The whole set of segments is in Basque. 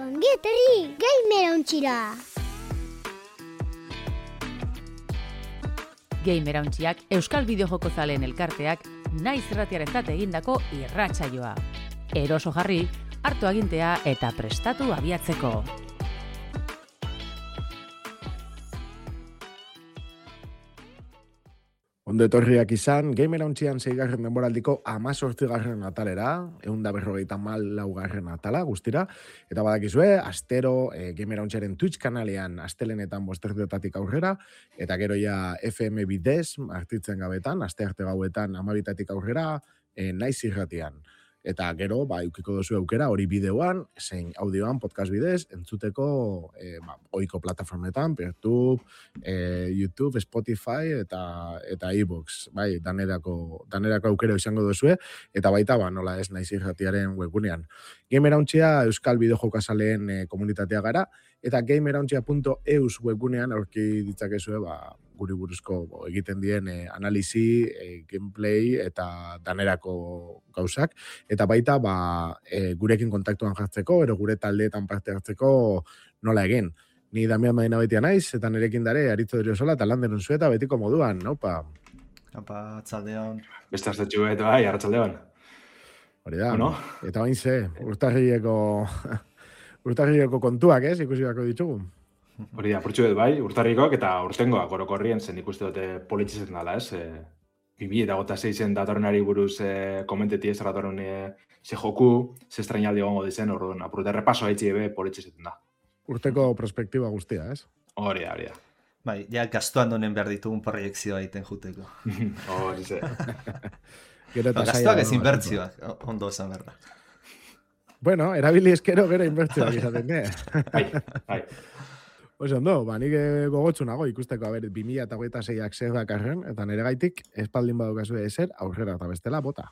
Ongi etorri, Gamerauntxira! Gamerauntxiak Euskal Bideojoko zaleen elkarteak naiz irratiarentzat egindako irratsaioa. Eroso jarri, hartu agintea eta prestatu abiatzeko. Ondo etorriak izan, Gamerauntxian 6. denboraldiko 18. atalera, 154. atala guztira, eta badakizue, astero Gamerauntxiaren Twitch kanalean astelenetan 5:00 aurrera, eta gero ja FM bidez, artitzen gabetan, astearte gauetan 12:00 aurrera, naiz irratian. Eta gero, eukiko duzu aukera hori bideoan, zein audioan, podcast bidez, entzuteko ohiko plataformetan, YouTube, YouTube, Spotify eta iVoox. Danerako aukera izango duzue, eta baita, nola ez naiz irratiaren webgunean. Gamerauntxia Euskal Bideojokazaleen komunitatea gara, eta gamerauntxia.eus webgunean aurki ditzakezue, guri buruzko egiten dien analisi, gameplay eta danerako gauzak. Eta baita, gurekin kontaktuan jartzeko, ero gure taldeetan parte hartzeko nola egin. Ni Damian Madina betia naiz, eta nerekin dare, Aritzo Deriozola, eta Landerun Zueta betiko moduan, naupa? Apa, atzaldeon. Beste aztetxu eta arratsaldeon. Hori da, bueno. Eta bain ze, urtarrieko kontuak, ikusi bako ditugu. Hori da, purtsu urtarrikoak eta urtengoak orokorrien zen ikuste dute politxizen dala, ez? 2006 datorrenari buruz komenteti ez datorren ze joku, ze estrainaldi gongo dizen, orduan, apurute repaso haitzi ebe politxizen da. Urteko prospektiba guztia, ez? Hori da. Ja gastuan donen behar ditugun proiektzioa egiten juteko. Hori ze. Gastuak ez inbertzioak, ondo esan behar da. Bueno, erabili eskero gero inbertzioak izaten, Bai. Oso ondo, nik gogotsu nago ikusteko, 2026ak zer dakarren, eta nire gaitik, espaldin badukazu ezer, aurrera eta bestela, bota.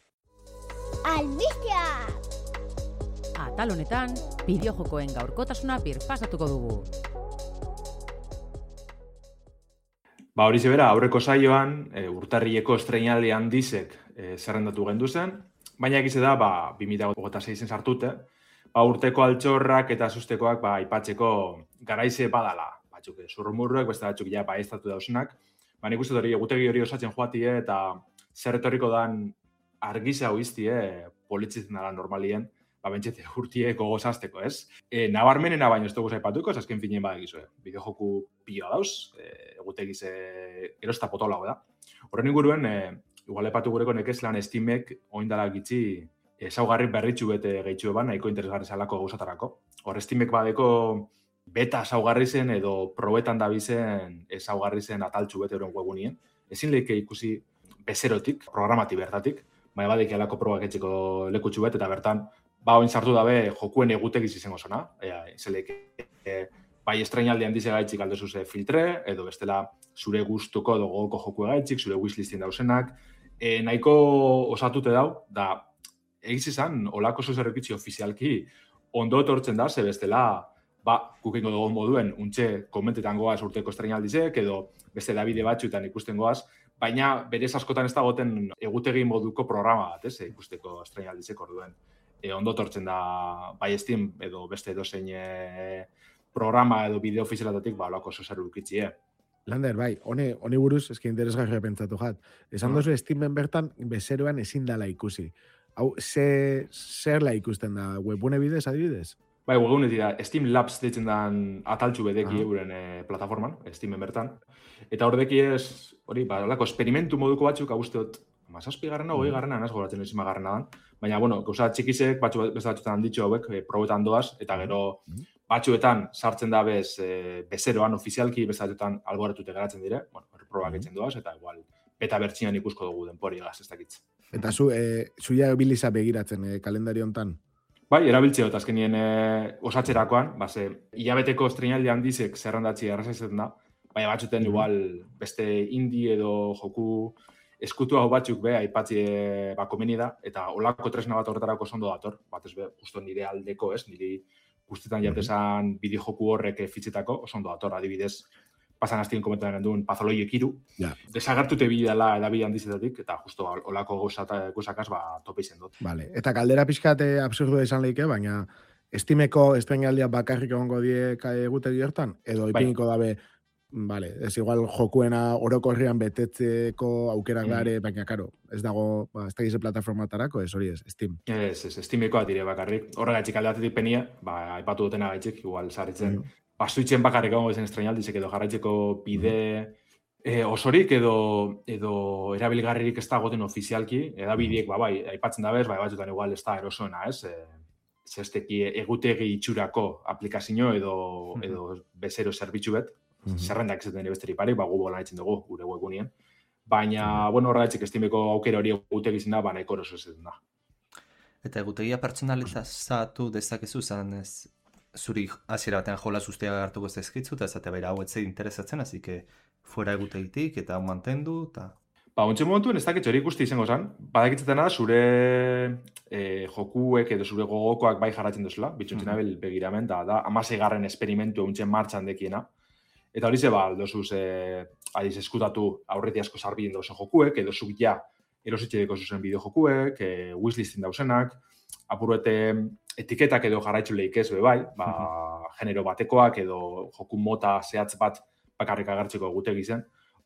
Albistea! Atal honetan, bideojokoen gaurkotasuna birpasatuko dugu. Hori zebera, aurreko saioan, urtarrileko estreinaldi handizek zerrendatu gendu zen, baina egize da, 2026en sartute, urteko altxorrak eta sustekoak aipatzeko garaize badala. Batzuk zurrumurruek, beste batzuk ja estatu dausenak. Nik uste hori egutegi hori osatzen joatie eta zer etorriko dan argiza hoiztie politzitzen dara normalien, bentsete urtie gogozazteko, ez? Nabarmenena baino ez dugu zaipatuko, azken finien badakizue. Bideojoku pila dauz, egutegiz erosta potolago da. Horren inguruen, igual epatu gureko nekezlan Steamek oindala gitzi ezaugarri berritxu bete gehitxu eban, nahiko interesgarri zalako gauzatarako. Hor, Steamek badeko beta ezaugarri zen edo probetan dabizen ezaugarri zen ataltxu bete euren webunien. Ezin lehike ikusi bezerotik, programati bertatik, baina badik alako probak etxeko lekutxu bete eta bertan, oin sartu dabe jokuen egutegiz izango zona. Bai estrainaldi handize gaitxik aldezuze filtre, edo bestela zure gustuko edo gogoko joku gaitxik, zure wishlistin dausenak. Nahiko osatute dau, da egiz izan, olako zuzerrekitzi ofizialki ondo etortzen da, ze bestela, kukengo dugu moduen, untxe komentetan goaz urteko estrainaldizek, edo beste Davide batxuetan ikusten goaz, baina berez askotan ez dagoten egutegi moduko programa bat, ikusteko estrainaldizek orduen. Ondo etortzen da, bai Steam edo beste edozein programa edo bideo ofizialatatik, olako zuzerrekitzie. Lander, honi buruz, eski interesgarria pentsatu jat. Esan dozu Steamen bertan, bezeroan ezin dala ikusi. Hau, zerla ikusten da, webune bidez, adibidez? Webune dira, Steam Labs ditzen dan ataltxu bedeki euren plataforman, Steamen bertan. Eta hor deki ez, lako esperimentu moduko batzuk, agustot, 7garrena, 20garrena, naz goratzen ezin magarrena dan. Baina, gauza txikizek, beste batzuetan ditxo hauek, probetan doaz, eta gero batzuetan sartzen da bezeroan ofizialki, beste batzuetan alboratute geratzen dire, probak etzen doaz, eta igual, beta bertxinan ikusko dugu denpori egaz, ez dakitz. Eta zuia biliza begiratzen kalendario hontan? Bai, erabiltzeo, eta azkenien osatzerakoan, hilabeteko estreinaldi handizek zerrandatzi errazatzen da, baina batzuten igual beste indie edo joku eskutu hau batzuk aipatzi komeni da, eta olako tresna bat horretarako oso ondo dator, bat ez justo nire aldeko ez, niri guztetan jatesan bideojoku horrek fitzetako, oso ondo dator, adibidez, pasan hastien komentan duen Pathologic 3. Desagertute bidela edabide handizetatik, eta justo olako gozakaz tope izen dut. Vale. Eta kaldera pixkat absurdu izan lehike, baina Steameko estrenaldia bakarrik egongo die egutegi hortan, edo ipiniko dabe, vale, ez igual jokuena orokorrian betetzeko aukerak dare, baina karo, ez dago, ez da gize plataformatarako, ez hori ez, Steam. Ez, Steamekoa dire bakarrik. Horregatik aldatetik penia, aipatu dutena gaitxik, igual sarritzen, Switchen bakarrik egongo zen estrenaldizek edo jarraitzeko bide osorik edo erabilgarririk ez dagoten ofizialki, edabideek, bai, aipatzen dabez, batzutan igual ez da erosoena, ez? Zesteki egutegi itxurako aplikazio edo bezero zerbitzu bet, zerrendak ez den besteri pare, Google nahitzen dugu, gure webgunien. Baina, horregatik Steameko aukera hori egutegi zen da, nahiko eroso ez da. Eta egutegia pertsonalizatu dezakezu zen ez zuri hasiera batean jolas guztiak hartuko ez dizkitzu, eta esate baira hau etzei interesatzen, así que fuera egutegitik eta hau mantendu, eta... Ontsen momentuen ez dakit hori ikusti izango zen, badakitzetan da zure jokuek edo zure gogokoak bai jarratzen duzula, bitxuntzen abel begiramen, da 16. esperimentu eguntzen martxan dekiena. Eta hori ze aldozuz adiz eskutatu aurreti asko sarbien dauzen jokuek, edo zuk ja erositxedeko zuzen bideo jokuek, wishlistin dauzenak, apuruete etiketak edo jarraitzu lehik ez bai, genero batekoak edo joku mota zehatz bat bakarrik agertzeko egutegi zen.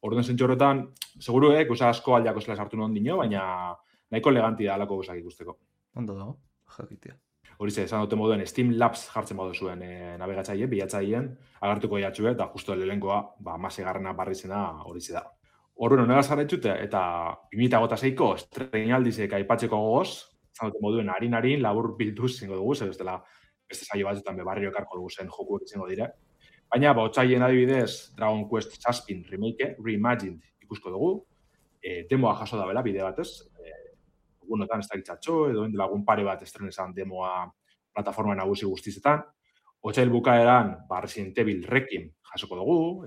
Orduan zentxo horretan, seguru gauza asko aldeako zela sartu non dino, baina nahiko eleganti da alako gauzak ikusteko. Ondo dago, jakitea. Hori ze, esan dute moduen Steam Labs jartzen modu zuen nabigatzaile, bilatzaileen, agertuko jatxue, eta justo lehenkoa, 16. barrizena hori ze da. Orduan, honegaz jarraitxute, eta 2006ko estrenaldizek aipatzeko gogoz, esan dute moduen harin labur bilduz zingo dugu, zer bestela beste saio batzutan barrio ekarko dugu zen jokuek izango dire. Baina, otsaien adibidez, Dragon Quest Suspin remake, reimagined ikusko dugu, demoa jaso da bela, bide batez, egunotan ez dakitzatxo, edo lagun pare bat estrenezan demoa plataforma nagusi guztizetan. Otsail bukaeran, Resident Evil Requiem jasoko dugu,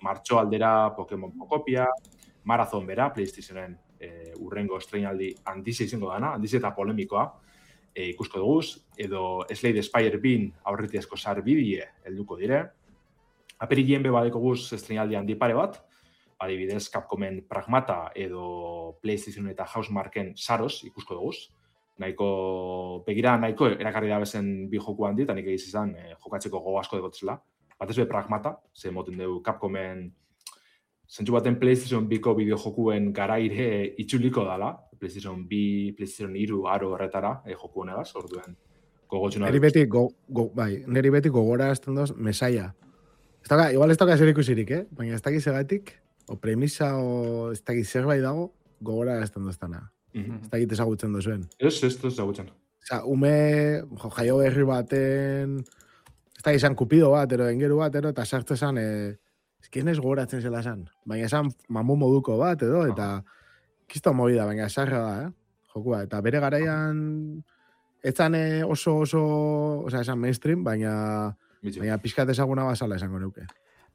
martxo aldera Pokemon Pokopia, Marathon bera, PlayStationen urrengo estrenaldi handize izango dana, handize eta polemikoa, ikusko dugu, edo Slade Spire Bean aurreti asko sarbidie helduko dire. Aperilien badeko guz estrenaldi handi pare bat, adibidez Capcomen Pragmata edo PlayStation eta Housemarken Saros ikusko dugu. Nahiko erakarri da bezen bi joku handi, eta nik egiz izan jokatzeko gogo asko degotzela. Batez be Pragmata, ze moten dugu Capcomen zentzu baten PlayStation 2ko bideo jokuen garaire itxuliko dala. PlayStation 2, PlayStation 3, aro horretara joku honegaz, orduen gogotxuna. Neri beti gogora azten doz mesaia. Igual ez toka zer ikusirik, baina ez dakiz egatik, o premisa, o ez dakiz zerbait dago, gogora azten doztana. Ez dakit ezagutzen dozuen. Ez ezagutzen. Ume jaio berri baten, ez dakiz izan kupido bat, engeru bat, eta sartu esan, ezkien ez gogoratzen zela esan. Baina esan mamu moduko bat, eta kisto movida, baina esarra da, jokua. Eta bere garaian, etzan oso, esan mainstream, baina pixkat ezaguna bazala esango neuke.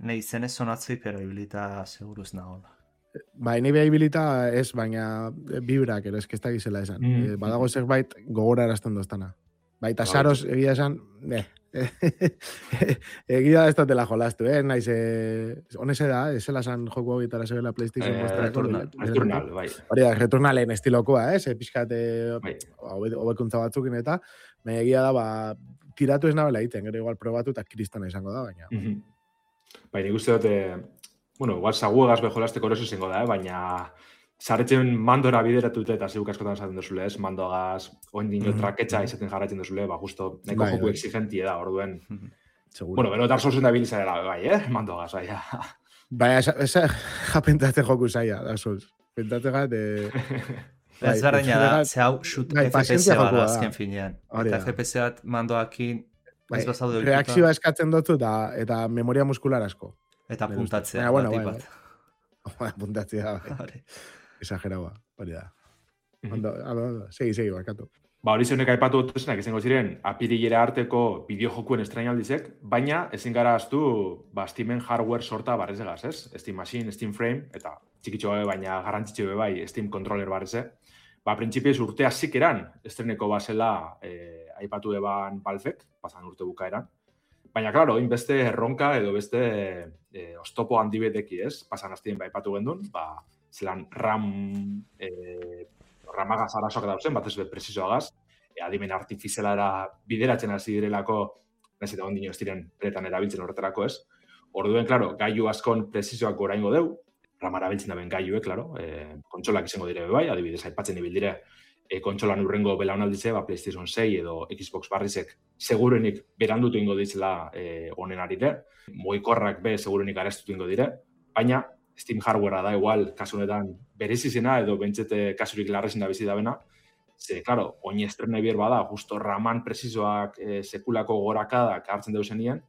Nei zen ez sonatzei, pero ibilita seguruz nagola. Nahi beha ibilita ez, baina vibrak, ez ez gizela esan. Badago zerbait gogora erazten doztana. Baita saros egia esan, egia ez dutela jolastu, naiz, honese da, ez zela esan joku hogitara zebela PlayStation Returnal, bai. Hori da, Returnalen estilokoa, pixkat hobekuntza batzukin eta, egia da, tiratu ez nabela egiten, gero igual probatu eta kristana izango da, baina. Baina ikuste dute, igual saguegaz bejolazteko eroso izango da, baina zaretzen mandora bideratute eta zeuk askotan esaten duzule, mandoagaz, oindino traketxa izaten jarratzen duzule, justo neko joku exigentie da, orduen. Bero Dark Soulsen da bilizarela, mandoagaz, bai. Baina, japentatzen joku zaila, Dark Souls. Pentatzen gat, ez berdina da, ze hau shoot FPS gara azken finean. Eta FPS bat mandoakin ez bazaude horituta. Reakzioa eskatzen dutzu eta memoria muskular asko. Eta puntatzea, batik bat. Puntatzea, bai. Exageraua, hori da. Segi, bakatu. Hori zeunek aipatu dutezenak izango ziren apirilera arteko bideojokuen estrenaldizek, baina ezin gara aztu Steamen hardware sorta barrezegaz, ez? Steam Machine, Steam Frame, eta txikitxo baina garrantzitxo bai Steam Controller barreze. Printzipioz urtea zikeran estreneko bazela aipatu eban Valvek, pasan urte bukaeran. Baina, klaro, beste erronka edo beste oztopo handi beteki, ez? Pasan hastien aipatu gendun, zelan ramagaz arazoak dauzen, batez bet presizoagaz, adimen artifizialara bideratzen hasi direlako, nahiz eta ondino ez diren beretan erabiltzen horretarako, ez? Orduen, klaro, gailu askon prezizioak goraingo deu, ramara biltzen daben gailuek, klaro, kontsolak izango dire bai, adibidez, aipatzen ibildire, kontsolan urrengo belaunalditze, PlayStation 6 edo Xbox barrizek segurenik berandutu ingo ditzela honen arire, mugikorrak be segurenik arestutu ingo dire, baina Steam hardwarea da igual, kasunetan berezizena edo bentsete kasurik larrezin da bizi dabena, ze, klaro, oin estrena bier bada, justo raman prezizoak sekulako gorakadak hartzen deu zenien,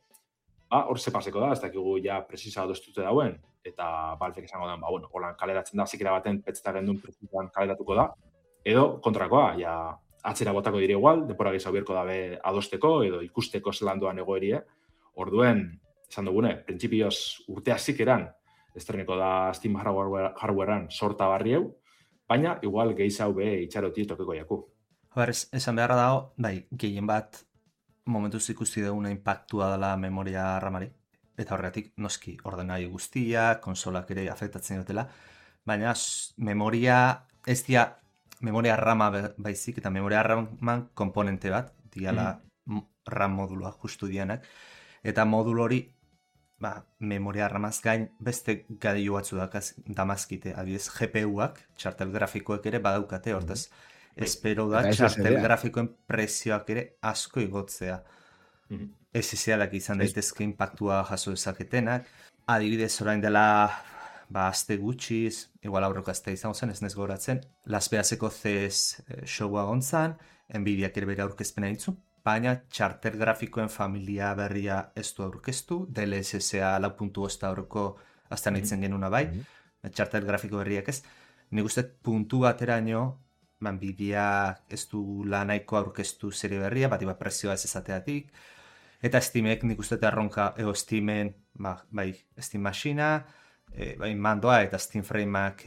hor ze paseko da, ez dakigu ja prezisa adostute dauen, eta Valvek esango da, bueno, holan kaleratzen da, zikera baten petzeta gendun prezisoan kaleratuko da, edo kontrakoa, ja atzera botako dire igual, denpora gehiago bierko dabe adosteko, edo ikusteko zelan doan egoerie, orduen, esan dugune, printzipioz urtea zikeran, estreneko da Steam hardwarean sorta barri hau, baina igual gehiago be itxaroti tokeko jaku. Esan beharra dago, bai, gehien bat momentuz ikusti duguna impactua dela memoria ramari, eta horregatik noski ordenagailu guztia, konsolak ere afektatzen dutela, baina memoria ez dia memoria rama baizik, eta memoria raman komponente bat, diala RAM modulua justu dianak, eta modul hori memoria ramaz gain beste gailu batzu damazkite, adibidez GPU-ak, txartel grafikoek ere badaukate, hortaz, espero da txartel grafikoen prezioak ere asko igotzea. SSD-ak izan daitezke impactua jaso dezaketenak, adibidez orain dela aste gutxiz, igual aurreko azte izango zen, ez nez goratzen, Las Vegaseko CES showa gontzan, Nvidiak ere bere aurkezpena ditzu, baina txartel grafikoen familia berria ez du aurkeztu, DLSS-a 4.5 aurreko aztean itzen genuna bai, txartel grafiko berriak ez. Nik uste puntu bateraino, Nvidia ez du lanaiko aurkeztu serie berria, bat prezioa ez ezateatik, eta Steamek nik uste erronka, Steamen, Steam Machina, mandoa eta Steam Frameak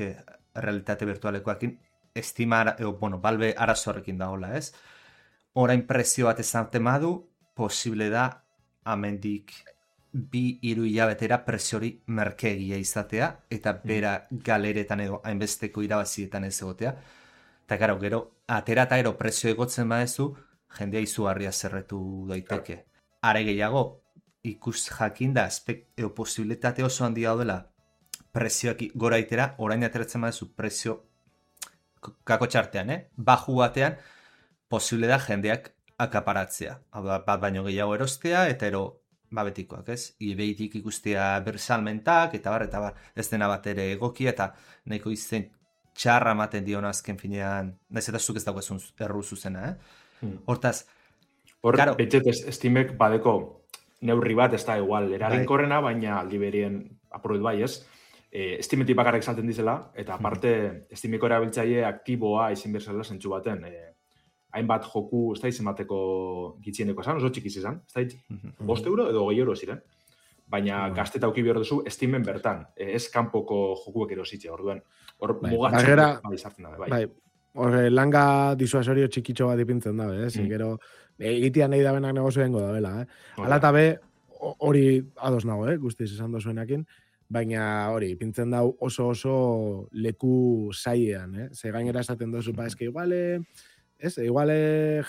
realitate virtualekoakin, Valve arazo horrekin dagoela, ez? Orain prezio bat ezaten madu, posible da, amendik 2-3 hilabetera preziori merkegia izatea, eta bera galeretan edo hainbesteko irabazietan ez egotea. Eta gero, atera eta gero prezio egotzen badezu, jendea izugarria zerretu daiteke. Are gehiago, ikus jakinda, posibilitate oso handia daudela, prezioak gora itera, orain ateratzen badezu prezio kako txartean, baju batean, posible da jendeak akaparatzea. Bat baino gehiago erostea, eta betikoak, ez? Ibeitik ikustea bersalmentak, eta bar, ez dena bat ere egokia, eta nahiko izen txarra ematen diona azken finean, nahiz eta zuk ez dagoezun erru zuzena, Hortaz, hor, betxet Steamek badeko neurri bat, ez da igual, eraginkorrena, baina aldi berien aprobet bai, ez? Steametik bakarrik salten dizela, eta aparte, Steameko erabiltzaile aktiboa izin berzela zentsu baten, hainbat joku, ez da izan bateko gitzieneko esan, oso txikiz izan, ez da 5 euro edo 2 euro ziren, baina gazteta auki behar duzu Steamen bertan, ez kanpoko jokuek erositxe, orduan, hor mugatzen izartzen dabe, bai. Horre, langa disuasorio txikitxo bat ipintzen dabe, gero, egitean nahi dabenak negozio dengo dabela, Hala eta be, hori ados nago, guztiz esan dozuenakin, baina hori, ipintzen dau oso leku zailean, Ze gainera esaten dozu, eske igual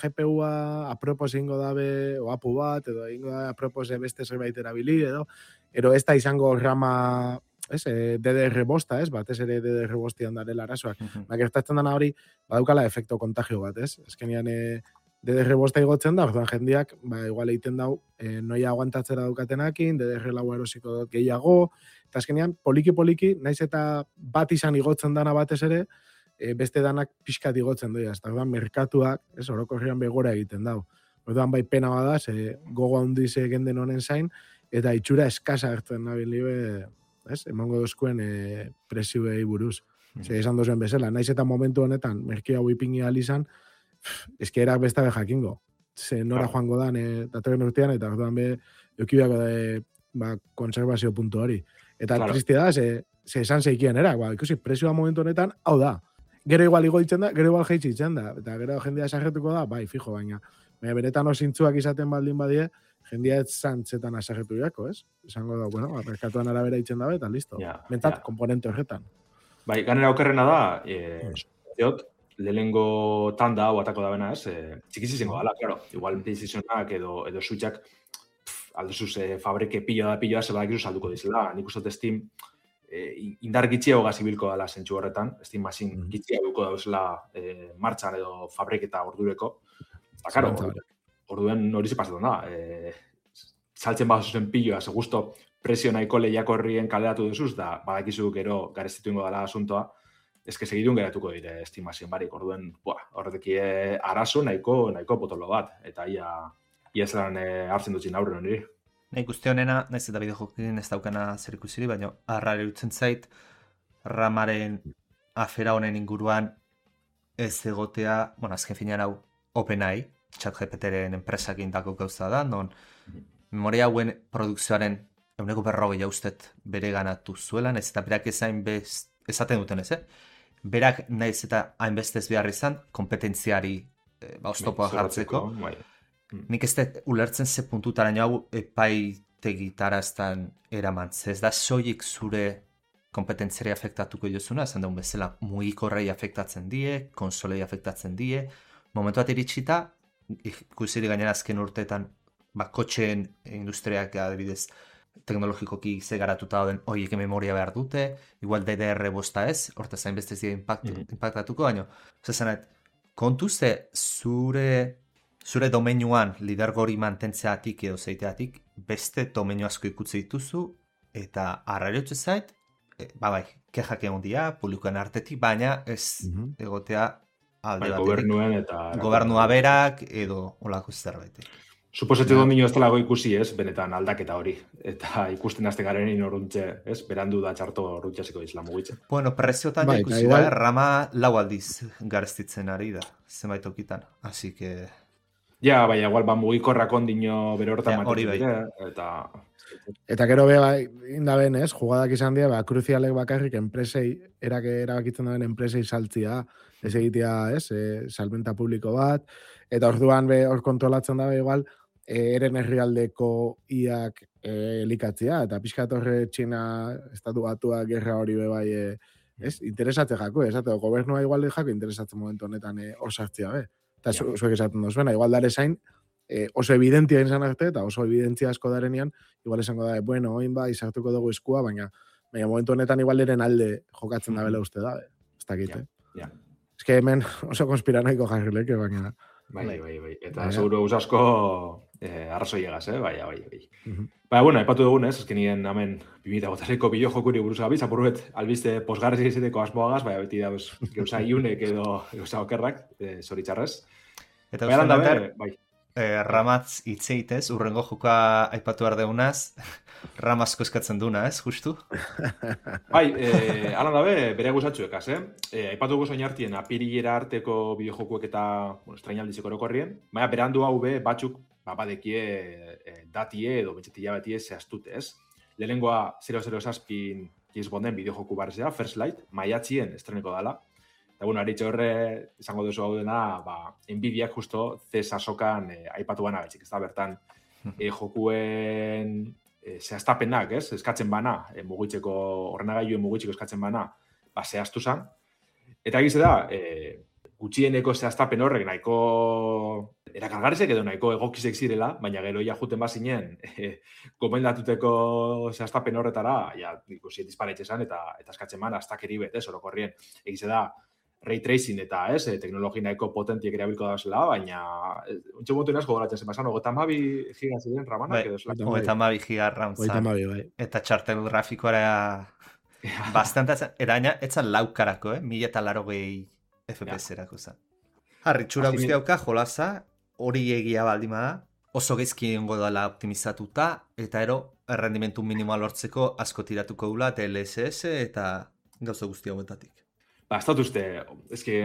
GPU-a apropos ingo dabe o apu bat, edo ingo dabe apropos beste zerbait erabili, edo ez da izango rama, DDR bosta, batez ere DDR bostian darela arazoak. Gertatzen dana hori, badaukala efekto kontagio bat, Ezkenian DDR bosta igotzen da, orduan jendiak, igual egiten dau, noia aguantatzera daukatenakin, DDR lau erosiko dut gehiago, eta ezkenian, poliki, naiz eta bat izan igotzen dana batez ere, beste danak pixkat igotzen doia, eta orduan merkatuak, orokorrean begora egiten dau. Orduan bai pena bada, gogo handiz genden honen zain, eta itxura eskasa hartzen nabili emango dozkuen prezioei buruz. Esan dozuen bezala, naiz eta momentu honetan, merkia hau ipingi alizan, eskerak besta be jakingo. Nora joango dan, datorren urtean, eta orduan be, eukibiako da, konservazio puntu hori. Eta tristia da, ze esan zeikien ikusi, prezioa momentu honetan, hau da. Gero igual igo ditzen da, gero igual jeitsi ditzen da. Eta gero jendea esagertuko da, bai, fijo, baina benetan osintzuak izaten baldin badie, jendea ez zantzetan asagertu jako, Esango da, merkatuan arabera itzen dabe, eta listo. Mentat, komponente horretan. Bai, ganera okerrena da, lehenengo tanda hau atako da bena, ez? Txikiz izango dala, claro. Igual PlayStationak edo Switchak alduzuz fabrike piloa, ze badakizu salduko dizela. Nik uste Steam indar gitxiago gazibilko dela zentsu horretan. Steam Machine gitxiago duko dauzela martxan edo fabriketa ordureko. Eta, claro, orduen hori zipazetan da. Saltzen bazuzen piloa, ze gusto presio nahiko lehiakorrien kaleratu duzuz, da badakizu gero garestitu ingo dela asuntoa, ezke segidun geratuko dire estimazioen barik, orduen, horreteki arazo nahiko potolo bat, eta ia zelan hartzen dutzen aurre niri. Nahi guzti honena, nahiz eta bideojokin ez daukana zer ikusiri, baina arrare dutzen zait, ramaren afera honen inguruan ez egotea, azken finean hau OpenAI, ChatGPTren enpresak indako gauza da, non memoria hauen produkzioaren 150 ustet bere ganatu zuelan, ez eta berak esaten duten ez, berak nahiz eta hainbeste ez behar izan, kompetentziari oztopoa jartzeko. Nik ez da ulertzen ze puntutaraino hau epaitegitaraztan eramantz. Ez da soilik zure kompetentziari afektatuko jozuna, esan daun bezala, mugikorrei afektatzen die, konsolei afektatzen die, momentu bat iritsita, ikusiri gainera azken urteetan, kotxeen industriak adibidez, teknologikoki ze garatuta dauden horiek memoria behar dute, igual DDR5 ez, hortaz hainbeste ez dira impactatuko, baina, zezanet, kontu ze zure domeinuan lidergori mantentzeatik edo zeiteatik, beste domeinu asko ikutze dituzu, eta arrariotze zait, kexak egon dira, publikoen artetik, baina ez egotea alde batetik. Gobernua berak edo olako zerbaitek. Suposatzen domino ez talago ikusi, ez, benetan aldaketa hori. Eta ikusten azte garen inoruntze, ez, berandu da txarto rutxasiko izla mugitzen. Bueno, preziotan ikusi rama lau aldiz garestitzen ari da, zenbait okitan. Así que... Ja, igual mugikorrak ondino bere horretan hori bai. Eta gero indaben, ez, jugadak izan dira, kruzialek bakarrik enpresei, erabakitzen daben enpresei saltzia, ez egitea, ez, salmenta publiko bat, eta orduan hor kontrolatzen dabe igual, eren herrialdeko iak elikatzea, eta pixkat horre Txina estatu batua gerra hori bai, ez, interesatzen jako, ez, eta gobernua igual jako interesatzen momentu honetan hor sartzea, eta zuek esaten dozuena, igual dare zain, oso evidentia izan arte, eta oso evidentzia asko darenean, igual esango da, bueno, oin izartuko dugu eskua, baina momentu honetan igual eren alde jokatzen dabela uste da, ez dakit, Ez que hemen oso konspiranoiko jarrileke, baina... Bai. Eta seguro usasko arrazoi egaz, bai. Bueno, epatu dugun, ez, ezkenien hemen 2008ko bideojokuri buruz gabiz, apurruet albiste posgarri izateko asmoagaz, beti dauz gauza iunek edo gauza okerrak, zoritxarrez. Eta uste dater, ramatz itzeitez, urrengo joka aipatu ardeunaz, ramazko eskatzen duna, ez, justu? Alan dabe, bere guzatxuekaz, aipatu gozoin hartien, apirilera arteko bideojokuek eta estrainaldizeko orokorrien, baina berandu hau batzuk, badekie datie edo betxetia betie zehaztute, ez? Lehenengoa 007 James Bonden bideojoku barzea, First Light, maiatzien estreneko dala. Eta, aritxe horre, izango duzu hau dena, Nvidiak justo zesasokan aipatu bana betxik, ez da, bertan, jokuen zehaztapenak, ez, eskatzen bana, mugitzeko, ordenagailuen mugitzeko eskatzen bana, zehaztu zan. Eta egize da, gutxieneko zehaztapen horrek nahiko erakargarrizek edo nahiko egokizek zirela, baina gero juten bazinen, gomendatuteko zehaztapen horretara, ikusi disparetxe zan, eta eskatzen bana, aztakeri bet, ez, orokorrien, egize da, ray tracing eta, ez, teknologi nahiko potentiek erabilko da zela, baina ontsa motu inazko goratzen zen bazan, 32 giga ziren ramanak edo zelak. 32 giga RAM zan. Eta txartel grafikoara bastantatzen, eraina, etzan laukarako, 1080 FPS erako zan. Harritxura guzti hauka, jolaza, hori egia baldima da, oso gezki egongo dela optimizatuta, eta errendimentu minimoa lortzeko asko tiratuko dula, DLSS eta gauza guzti hauetatik. Ez dut uste,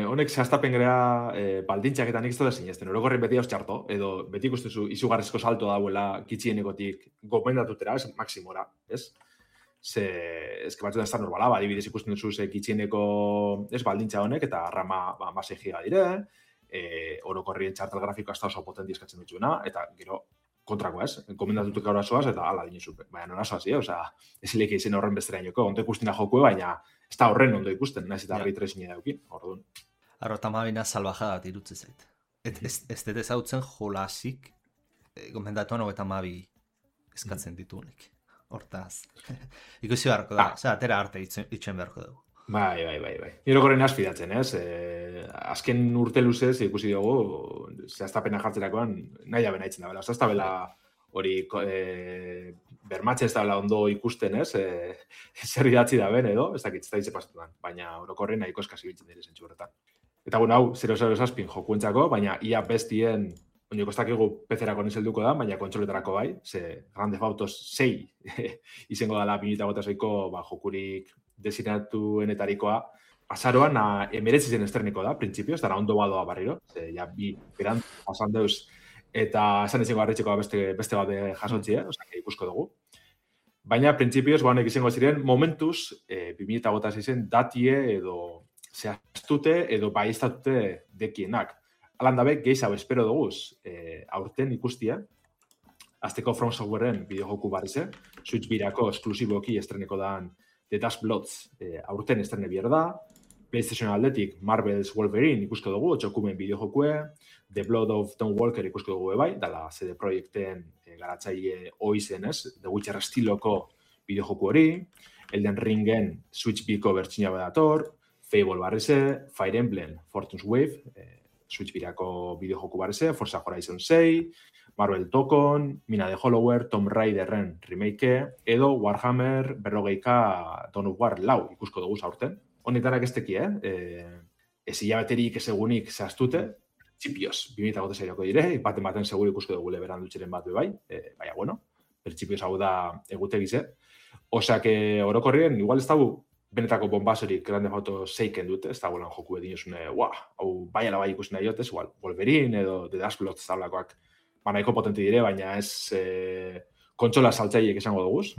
honek zehaztapen gara baldintzak eta nik ez dut zinezten, orokorren beti hauz txarto, edo beti ikustezu izugarrizko salto dauela kitxienekotik gomendatutera, ez, maksimora, ez? Batzutan ez da normala, adibidez ikusten duzu kitxieneko ez baldintza honek, eta rama 6 giga dire, orokorrien txartel grafikoa ez da oso potenti eskatzen dituena, eta gero kontrako ez, gomendatutuk gaur asoaz, eta ala dinezu, baina non asoaz, ez leke izen horren bestera inoko, ondo ikustena jokue, baina ez da horren ondo ikusten, nahiz eta ray tracing edaukin, orduan. Arrotamabina salvajada bat irutze zait. Ez dut ezautzen jolasik, gomendatuan 32 eskatzen ditunik. Hortaz, ikusi beharko da, atera arte itxen beharko dugu. Bai. Irokorren azpidatzen, ez? Azken urte luzez ikusi dugu, zehaztapena jartzerakoan nahi abena itzen da bela. Ez da bela hori bermatzen ez da bela ondo ikusten, ez? Zer idatzi da ben edo, ez dakit, ez da hitze pasatuan. Baina orokorren nahiko eskasi biltzen dira zentsu horretan. Eta bueno, hau, 007 jokuentzako, baina ia bestien, oineko ez dakigu PC-erako nizelduko da, baina kontsoletarako bai, ze Grand Theft Auto 6 izango dela 2006ko jokurik desinatuenetarikoa, azaroan emeretzi zen estreniko da, printzipioz, dara ondo badoa barriro, ze ja bi beran pasan deuz, eta esan izango harritxeko beste bat jasontzie, ikusko dugu. Baina, printzipioz, honek izango ziren, momentuz, 2006 datie edo zehaztute edo baiztatute dekienak. Alan dabe, gehiago espero duguz, aurten ikustia, azteko From Softwareen bideojoku barrize, Switch birako esklusiboki estreneko dan The Dust Bloods aurten estrene bier da, PlayStation aldetik Marvel's Wolverine ikusko dugu, txokumen bideojokue, The Blood of Don Walker ikusko dugu bai, dala CD Projekten garatzaile oizen, ez? The Witcher estiloko bideojoku hori, Elden Ringen Switch biko bertxina badator, Fable barrize, Fire Emblem Fortune's Wave, Switch birako bideojoku barrize, Forza Horizon 6, Marvel Tokon, Mina de Hollower, Tomb Raiderren remake, edo Warhammer 40K Dawn of War 4 ikusko dugu aurten. Honetarak ez teki, ez hilabeterik ez egunik zehaztute, txipioz, 2006ko dire, baten seguru ikusko dugu leberan dutxeren bat bai, baina bueno, pertsipioz hau da egutegize. Osak orokorrien, igual ez dago benetako bombasorik Grand Theft Auto 6 dute, ez da golan joku edin osune, hau bai ala bai ikusten nahi igual, Wolverine edo The Dust Bloods tablakoak nahiko potente dire, baina ez kontsola saltzaileek esango duguz.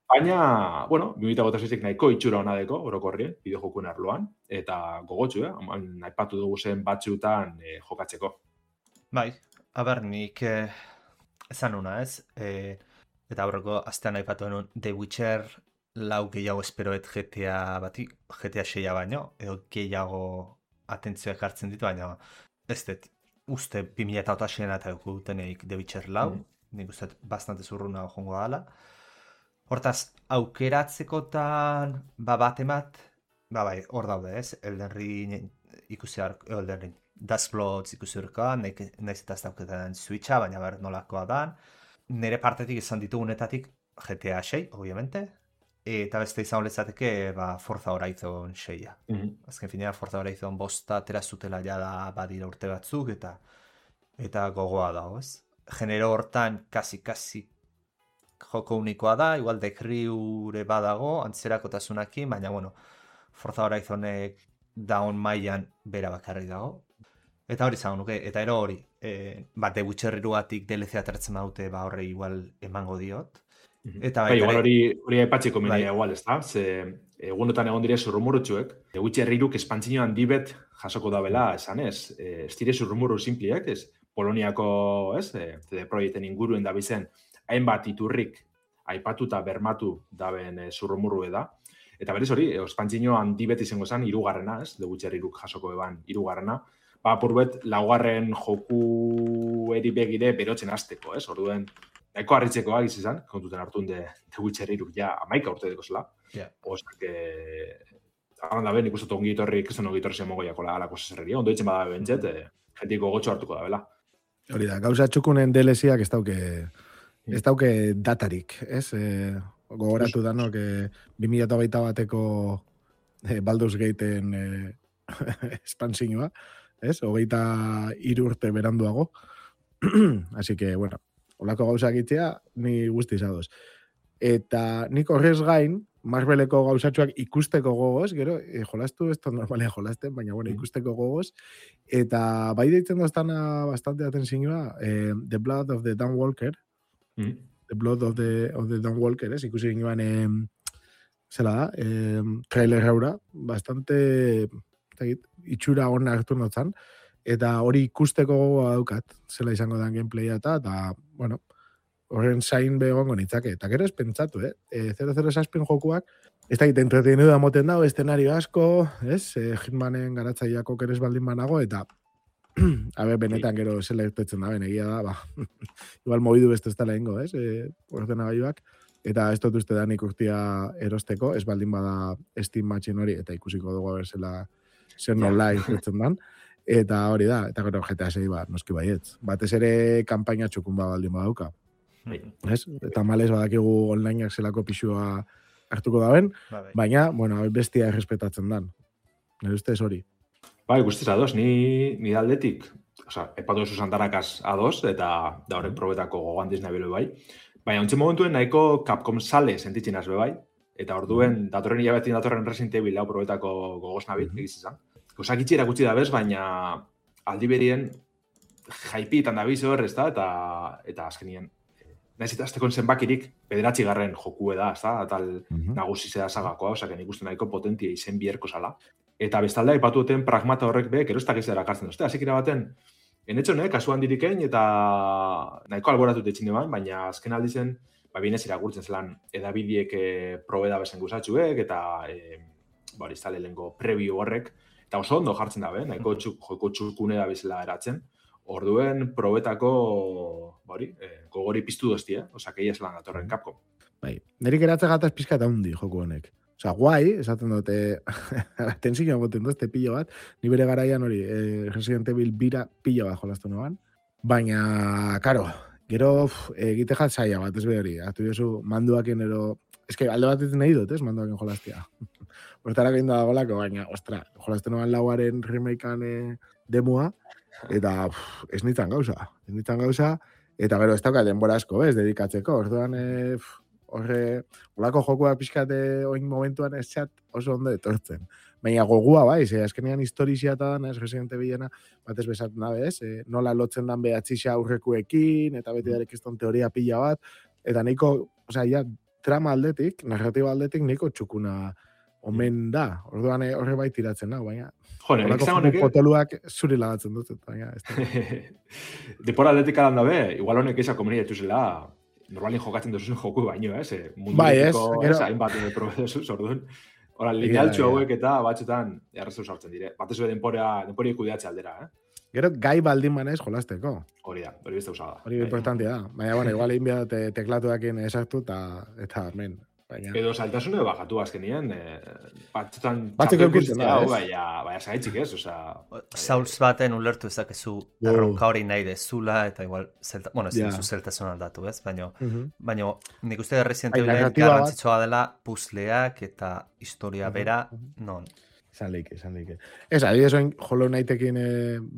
Baina, bueno, 2006 nahiko itxura hona deko, orokorrien, bideojokuen arloan, eta gogotxu, aipatu dugu zen batzutan jokatzeko. Bai, aber nik esan una ez, eta aurreko astean aipatu denun The Witcher 4 gehiago esperoet GTA 6 baino, edo gehiago atentzioak hartzen ditu, baina ez dut, uste 2006 eta duteneik The Witcher 4, nik uste bastante zurruna jongo dala. Hortaz, aukeratzekotan bat emat, bai, hor daude ez, Elden Ring ikusi Elden Ring, Dust Bloods ikusi horrekoa, nahiz eta ez dauketan Switcha, baina ber nolakoa dan. Nire partetik izan ditugunetatik GTA 6, obviamente, eta beste izan lezateke Forza Horizon 6. Azken finean, Forza Horizon 5 atera zutela jada badira urte batzuk, eta gogoa dago, ez? Genero hortan, kasi joko unikoa da, igual dekriure badago, antzerakotazunakin, baina, bueno, Forza Horizonek daun mailan bera bakarri dago. Eta hori zago nuke, eta ero hori, The Witcher 2-atik DLC atertzen badute, horre igual emango diot. Eta igual hori aipatxeko menea igual, ez da? Ze egunotan egon dire zurrumurutxuek, The Witcher 3 espantzino handibet jasoko da bela, esan ez? Ez dire zurrumuru simpliek, ez? Poloniako, ez? CD Projekten inguruen da bizen, hainbat iturrik aipatuta bermatu daben zurrumurru da. Eta berez hori, espantzino handibet izango zen, 3. ez? The Witcher 3 jasoko eban 3. Apurbet, 4. joku begire berotzen hasteko, ez? Orduen, nahiko harritzekoa izan, kontuten hartun The Witcher 3 ja 11 urte deko zela. Osak, hagan da ben, ikustu ongi etorri, kriston ongi etorri zen mogoiako alako zerreria, ondo ditzen bada bentzet, jentiko gotxo hartuko da, bela. Hori da, gauza txukunen DLC-ak ez dauke datarik, ez? Gogoratu danok 2021 bateko Baldur's Gateen espantzinoa, ez? 23 urte beranduago. Así que, bueno, holako gauzak itzea, ni guztiz adoz. Eta nik horrez gain, Marveleko gauzatxoak ikusteko gogoz, gero, jolastu, ez da normalia jolasten, baina, bueno, ikusteko gogoz. Eta bai deitzen doztana bastante atentzioa, The Blood of the Dawn Walker, The Blood of the Dawn Walker, ez? Ikusi ginoan, zela da, trailer haura, bastante itxura hona hartu notzan, eta hori ikusteko gogoa daukat, zela izango den gameplaya eta, bueno, horren zain begongo nitzake. Eta gero ez pentsatu, 007 jokuak, ez da egiten entretenu da moten dago, eszenario asko, ez? Hitmanen garatzaileako keres baldin banago, eta benetan gero zela irtetzen da, egia da, igual mobidu beste ez da lehengo, ez? Ordenagailuak, eta ez dut uste da nik urtia erosteko, ez baldin bada Steam Machine hori, eta ikusiko dugu berzela zer nola irtetzen dan. Eta hori da, eta gero GTA 6 noski baietz. Batez ere kanpaina txukun baldin badauka. Ez? Eta malez badakigu onlineak zelako pixua hartuko daben, baina, bueno, bestia errespetatzen dan. Nire ustez hori. Bai, guztiz ados, ni aldetik, epatu esu santarakaz ados, eta da horrek probetako gogoan dizna bilo bai. Baina, ontsen momentuen nahiko Capcom sale sentitzen azbe bai, eta orduen datorren hilabetin datorren Resident Evil hau probetako gogoz nabil, egiz izan. Osak itxera gutxi da bez, baina aldi berien jaipitan da bizo horrez da, eta azkenien. Naiz eta aztekon zenbakirik 9. jokue da, ez da, tal nagusi zeda sagakoa, osaken ikusten nahiko potentia izen bierko zala. Eta bestalde aipatu duten pragmata horrek be, gero ez dakiz dara kartzen duzte. Azekira baten, enetxo, kasuan dirikein, eta nahiko alboratu tetxin eban, baina azken aldizen, binez iragurtzen zelan edabidiek probeda besen guzatxuek, eta iztale lehenko preview horrek, eta oso ondo jartzen dabe, nahiko joko txukune da bezala eratzen, orduen probetako gogori piztu dozti, osak egia zelan datorren Capcom. Bai, nerik eratze gataz pizka eta hundi joku honek. Osa, guai, esaten dute, tensik egoten duzte pilo bat, ni bere garaian hori, Resident Evil bira pilo bat jolaztu noan, baina, karo, gero egite jat zaila bat, ez behori, hartu jozu manduaken ero, eske alde bat nahi dut, ez, manduaken jolaztia. Hortarak egin da golako, baina, ostra, jolaztu noan lauaren remakean demua, eta ez nintzen gauza, eta gero ez dauka denbora asko, ez, dedikatzeko, orduan, olako jokua pixkate oin momentuan ez txat oso ondo etortzen. Baina gogua bai, azkenean historizia eta dan, ez Resident Evilena, batez bezatzen da, ez, nola lotzen dan behatxixa aurrekuekin, eta beti darek ez teoria pila bat, eta nahiko, trama aldetik, narratiba aldetik, nahiko txukuna omen da. Orduan horre bai tiratzen da, baina olako potoluak zuri lagatzen dut, baina ez da. Depora aldetik alan dabe, igual honek eisa komenia dituzela, normalin jokatzen duzun joku baino, munduetiko, hainbat probedezuz, orduan. Hora, linealtxu hauek eta batxetan errezu sartzen dire. Batez ere denpori kudeatze aldera, Gero, gai baldin manez jolazteko. Hori da, hori beste usada. Hori importantia da. Baina, bueno, igual egin behar teklatuakin esartu eta men. Edo saltasune bajatu azkenien, batzutan batzuk eukitzen da, baina zaitzik ez, Sauls baten ulertu ezakezu erronka hori nahi dezula, eta igual, zeltasun aldatu, ez? Baina nik uste Resident Evil garrantzitsua dela puzleak eta historia bera, non? Esan leike. Ez, adibidez oin Hollow Knightekin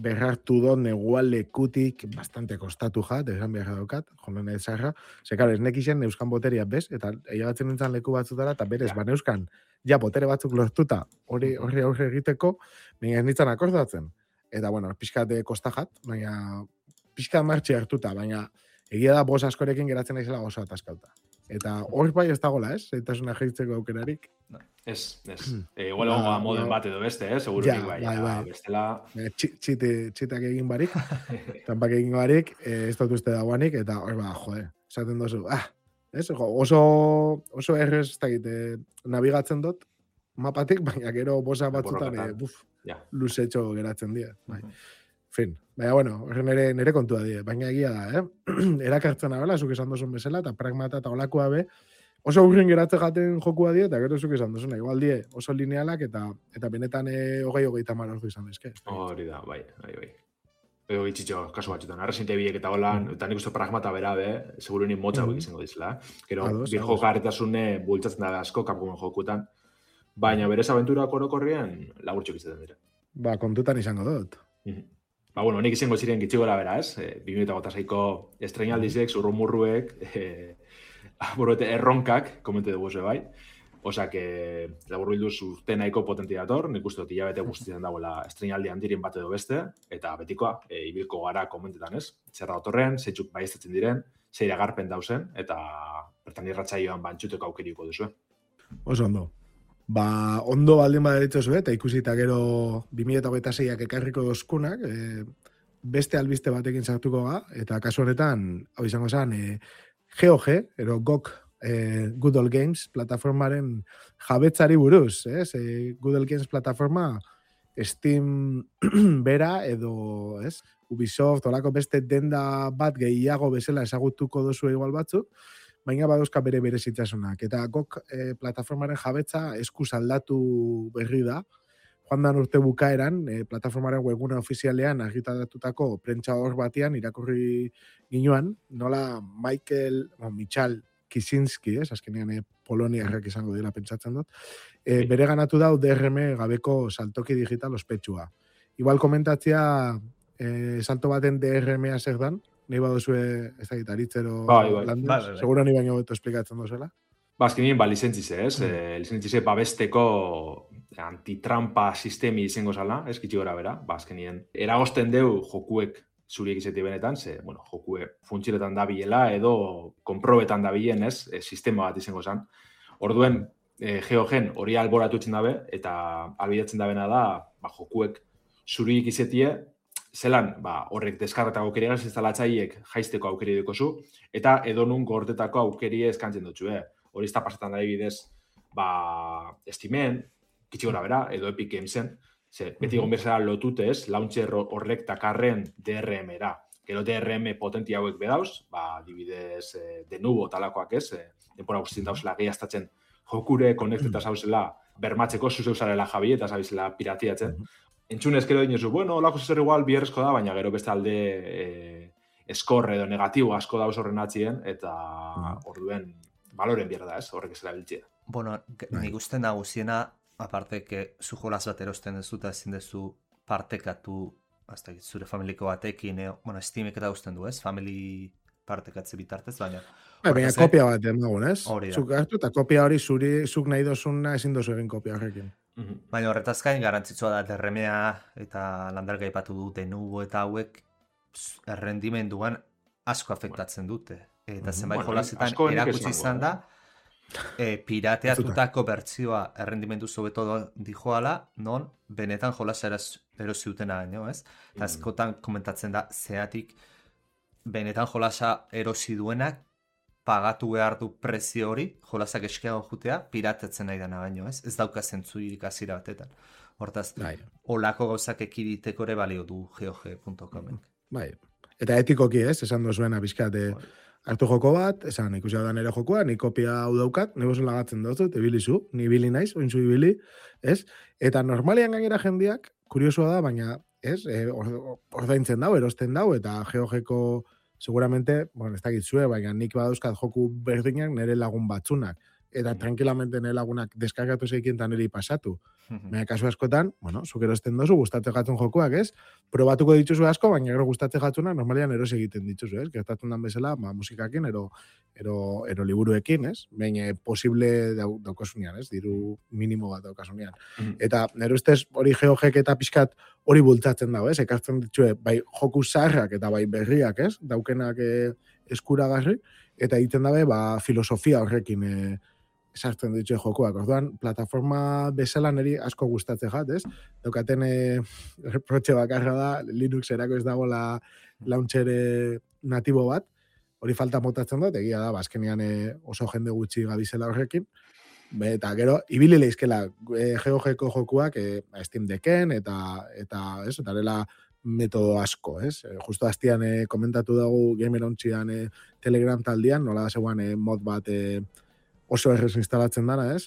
berrartu dut negua lekutik bastante kostatu jat, esan behar daukat, Hollow Knight zarra. Zekar, ez nekixen neuskan boteria bez, eta egatzen nintzen leku batzutara, eta berez, neuskan, botere batzuk lortuta, hori aurre egiteko, baina ez nintzen akordatzen. Eta, bueno, pixkate kostajat, baina pixka martxe hartuta, baina egia da bos askorekin geratzen naizela oso ataskauta. Eta hor bai ez dagoela, ez? Zeitasuna jeitzeko aukerarik. Ez. Igual egongo moden bat edo beste, segurunik bai. Bestela... Txitak egin barik, tampak egin barik, ez dut uste dagoanik, eta hor esaten dozu, oso errez, ez dakit, nabigatzen dut, mapatik, baina gero bosa batzutan, luzetxo geratzen dira. Fin, baina, bueno, nire kontua die, baina egia da, erakartzen abela, zuk esan dozun bezala, eta pragmata eta olakoa be, oso urrin geratze jaten jokua die, eta gero zuk esan dozuna, igual die, oso linealak, eta benetan 20-30 ordu izan dezke. Hori da, bai. Edo gitxitxo, kasu batzutan, Resident Evilek eta holan, eta nik uste pragmata bera be, seguruenik motza hauek izango dizela. Gero, bir jokaretasune bultzatzen da asko Capcomen jokutan, baina berez abenturak orokorrien laburtxok izaten dira. Kontutan izango dut. Bueno, nik izango ziren gitxigora bera, ez? 2006ko estrenaldizek, zurrumurruek, erronkak, komente dugu ze bai. Osak, laburru hilduz urte nahiko potentia dator, nik uste dut hilabete guztietan dagoela estrenaldi handirin bat edo beste, eta betikoa, ibilko gara komentetan, ez? Zerra datorren, zeitzuk baiestatzen diren, zeira garpen dauzen, eta bertan irratsaioan bantxuteko aukeriko duzu. Oso ondo. Ondo baldin badaritzozu, eta ikusita gero 2026ak ekarriko dozkunak, beste albiste batekin sartuko ga, eta kasu honetan, hau izango zen, GOG, ero GOG, Good Old Games plataformaren jabetzari buruz, ez? Good Old Games plataforma Steam bera edo, ez? Ubisoft, olako beste denda bat gehiago bezala ezagutuko dozu igual batzuk, baina badauzka bere berezitasunak. Eta GOG plataformaren jabetza eskuz aldatu berri da, joan dan urte bukaeran, plataformaren webgune ofizialean argitaratutako prentsa hor batean irakurri ginoan, nola Michal Kisinski, azkenean Poloniarrak izango dira pentsatzen dut, bere ganatu dau DRM gabeko saltoki digital ospetsua. Igual komentatzea salto baten DRM-a zer dan, nahi baduzue ez da gitaritzero landez, seguro ni baino beto esplikatzen dozela. Azkenien, licentzize, ez? Licentzize babesteko antitrampa sistemi izango zala, ez kitxi gora bera, azkenien. Eragosten deu jokuek zuriek izeti benetan, jokue funtzionetan dabilela edo konprobetan dabilen, ez? Sistema bat izango zan. Orduen, GeoGen hori alboratu etzen dabe, eta albidatzen dabena da, jokuek zuriek izetie, zelan, horrek deskarretako aukeria ez instalatzaiek jaisteko aukeri dukozu, eta edonun gortetako aukeri eskantzen dutxu, Hori ez da pasetan da bidez, Steamen, kitxi gora bera, edo Epic Gamesen, beti egon bezala lotutez, launcher horrek takarren DRM-era. Gero DRM potenti hauek bedauz, dibidez denubo talakoak ez, denpora guztien dauzela gehiaztatzen jokure, konekteta zauzela, bermatzeko zuzeuzarela jabi eta zabizela piratiatzen. Entzunez gero dinozu, olako zer igual bierrezko da, baina gero beste alde eskorre edo negatibo asko dauz horren atzien, eta orduen baloren bierda ez, horrek ez erabiltzea. Nik uste nagusiena, aparte que zu jolaz bat erosten dezu eta ezin dezu partekatu zure familiko batekin, Steamek eta usten du, ez? Family partekatze bitartez, baina... Baina kopia bat dagoen, ez? Zuk hartu eta kopia hori zuk nahi dozuna ezin dozu egin kopia horrekin. Baina horretaz gain garantzitsua da DRM-a eta landarga aipatu du denubo eta hauek errendimenduan asko afektatzen dute. Eta zenbait jolasetan erakutsi izan da, pirateatutako bertzioa errendimendu zobeto dijoala, non benetan jolasa erosiutena baino, ez? Eta askotan komentatzen da, zeatik benetan jolasa erosi duenak pagatu behar du prezio hori, jolasak eskiago jutea, piratetzen nahi dana baino, ez? Ez dauka zentzuirik hasiera batetan. Hortaz, olako gauzak ekiditeko ere balio du GOG.com. Bai, eta etikoki ez, esan dozuena bizkat, hartu joko bat, esan ikusi hau da nire jokoa, ni kopia hau daukat, negozen lagatzen dut, ebilizu, ni ibili naiz, ointzu ibili, ez? Eta normalian gainera jendiak, kuriosua da, baina, ez? Ordaintzen dau, erosten dau, eta GOG-ko seguramente, ez dakitzue, baina nik badauzkat joku berdinak nire lagun batzunak. Eta tranquilamente nire lagunak deskargatu zeikin eta niri pasatu. Baina kasu askotan, zuk erosten dozu, gustatze jatzen jokuak, ez? Probatuko dituzu asko, baina gero gustatze jatzunak normalian eros egiten dituzu, ez? Gertatzen dan bezala, musikakin, ero liburuekin, ez? Baina posible daukasunean, ez? Diru minimo bat daukasunean. Eta nire ustez hori GOG eta pixkat hori bultzatzen dago, ez? Ekartzen dituzue, bai joku zaharrak eta bai berriak, ez? Daukenak eskuragarri, eta egiten dabe, filosofia horrekin sartzen ditue jokoak. Orduan, plataforma bezala niri asko gustatze jat, ez? Daukaten reprotxe bakarra da, Linux erako ez dago launcher natibo bat, hori falta motatzen dut, egia da, azkenean oso jende gutxi gabizela horrekin, eta gero, ibili leizkela GOG-ko jokuak Steam Decken, eta dela metodo asko, ez? Justo hastian komentatu dugu Gamerontzian Telegram taldean, nola da zegoan mod bat oso errez instalatzen dana, ez?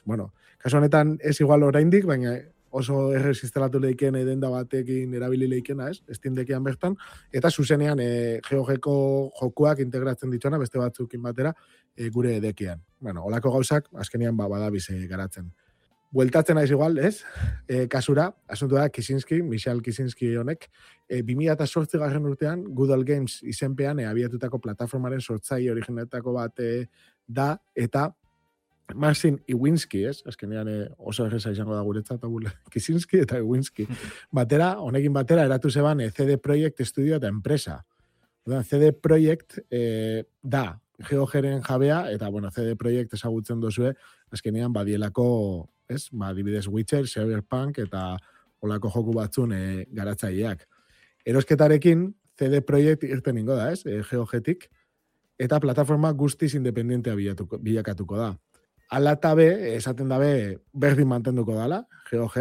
Kasu honetan ez igual oraindik, baina oso errez instalatu lehiken denda batekin erabili leikena, ez? Steam Deckean bertan, eta zuzenean GOG-ko jokuak integratzen dituena beste batzukin batera gure Deckean. Olako gauzak, azkenean badabiz garatzen. Bueltatzen naiz igual, ez? Kasura, asuntu da, Michal Kisinski honek, 2008 garren urtean, Good Old Games izenpean abiatutako plataformaren sortzaile originetako bat da, eta Marcin Iwinski, ez? Azkenean oso erreza izango da guretzat, Kisinski eta Iwinski. Honekin batera, eratu zeban CD Projekt Studio eta enpresa. CD Projekt da, GOG-ren jabea, eta, CD Projekt ezagutzen dozue, azkenean badielako, ez? Dibidez Witcher, Cyberpunk, eta olako joku batzun garatzaileak. Erosketarekin, CD Projekt irten ingo da, ez? GOG-tik, eta plataforma guztiz independentea bilakatuko da. Ala eta be, esaten dabe, berdin mantenduko dala, GOG,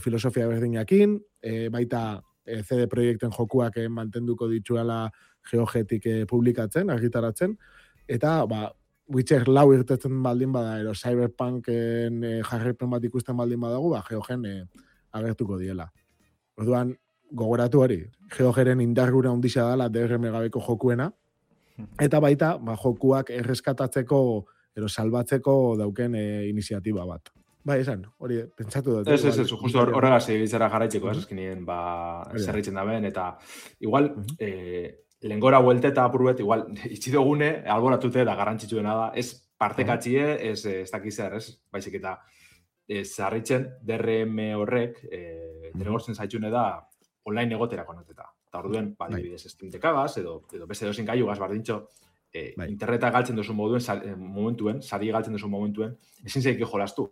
filosofia berdinakin, baita CD Projekten jokuak mantenduko dituela GOG-tik publikatzen, argitaratzen, eta Witcher 4 irtetzen baldin bada, ero Cyberpunken jarraipen bat ikusten baldin badago, GOG-en agertuko diela. Orduan, gogoratu hori, GOG-ren indargura ondisa dala DRM gabeko jokuena, eta baita, jokuak erreskatatzeko, ero salbatzeko dauken iniziatiba bat. Esan, hori, pentsatu dut. Ez, justo horregaz egitzara jarraitzeko, eskinien, zerritzen da ben, eta igual, lengora huelte eta apurbet, igual, itxidogune, alboratute da garrantzitsuena da, ez partekatxie, ez dakizar, ez, baizik eta zarritzen DRM horrek, derrigortzen zaitxune da, online egotera konoteta. Eta orduen, adibidez, Steam dekagaz, edo beste dozin gaiugaz, bardintxo, interneta galtzen duzu momentuen, sari galtzen duzu momentuen, ezin zeik jolastu.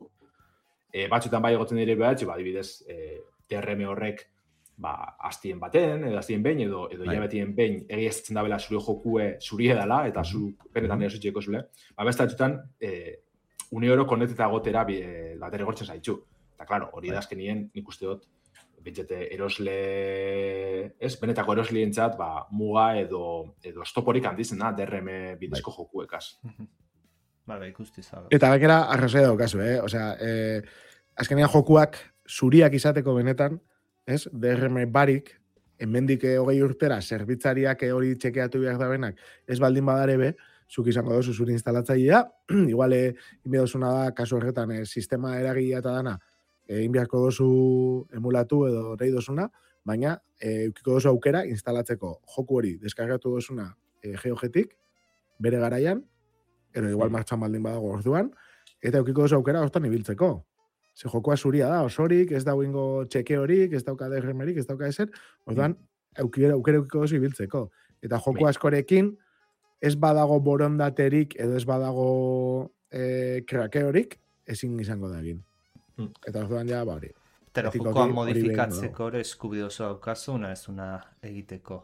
Batzutan bai egotzen dire behatxe, adibidez, DRM horrek hastien baten, edo hastien behin, edo hilabetien behin egiaztzen dabela zure jokue zurie dela, eta zu benetan erositxeko zule. Beste batzutan, une oro koneteta gotera derrigortzen zaitxu. Eta, klaro, hori da azkenien nik uste dut, bentsete erosle, benetako eroslientzat, muga edo estoporik handizen da, DRM bidezko jokuekaz. Ikusti zabe. Eta bekera, arrazoi daukazu, Osea, azkenean jokuak zuriak izateko benetan, DRM barik, hemendik 20 urtera, zerbitzariak hori txekeatu behar da benak, ez baldin badare be, zuk izango dozu zure instalatzailea, igual, inbidozuna da, kasu horretan, sistema eragilea eta dana, inbiarko dozu emulatu edo nahi dozuna, baina eukiko dozu aukera instalatzeko joku hori deskargatu dozuna GOG-tik, bere garaian, ero igual martxan baldin badago orduan, eta eukiko dozu aukera hortan ibiltzeko. Ze jokoa zuria da, osorik, ez dauingo txeke horik, ez dauka DRM-erik, ez dauka ezer, orduan aukera eukiko dozu ibiltzeko. Eta joku askorekin, ez badago borondaterik, edo ez badago krakeorik, ezin izango da egin. Eta orduan ja, hori. Pero jokoa modifikatzeko ere eskubide oso daukazu, ez una egiteko.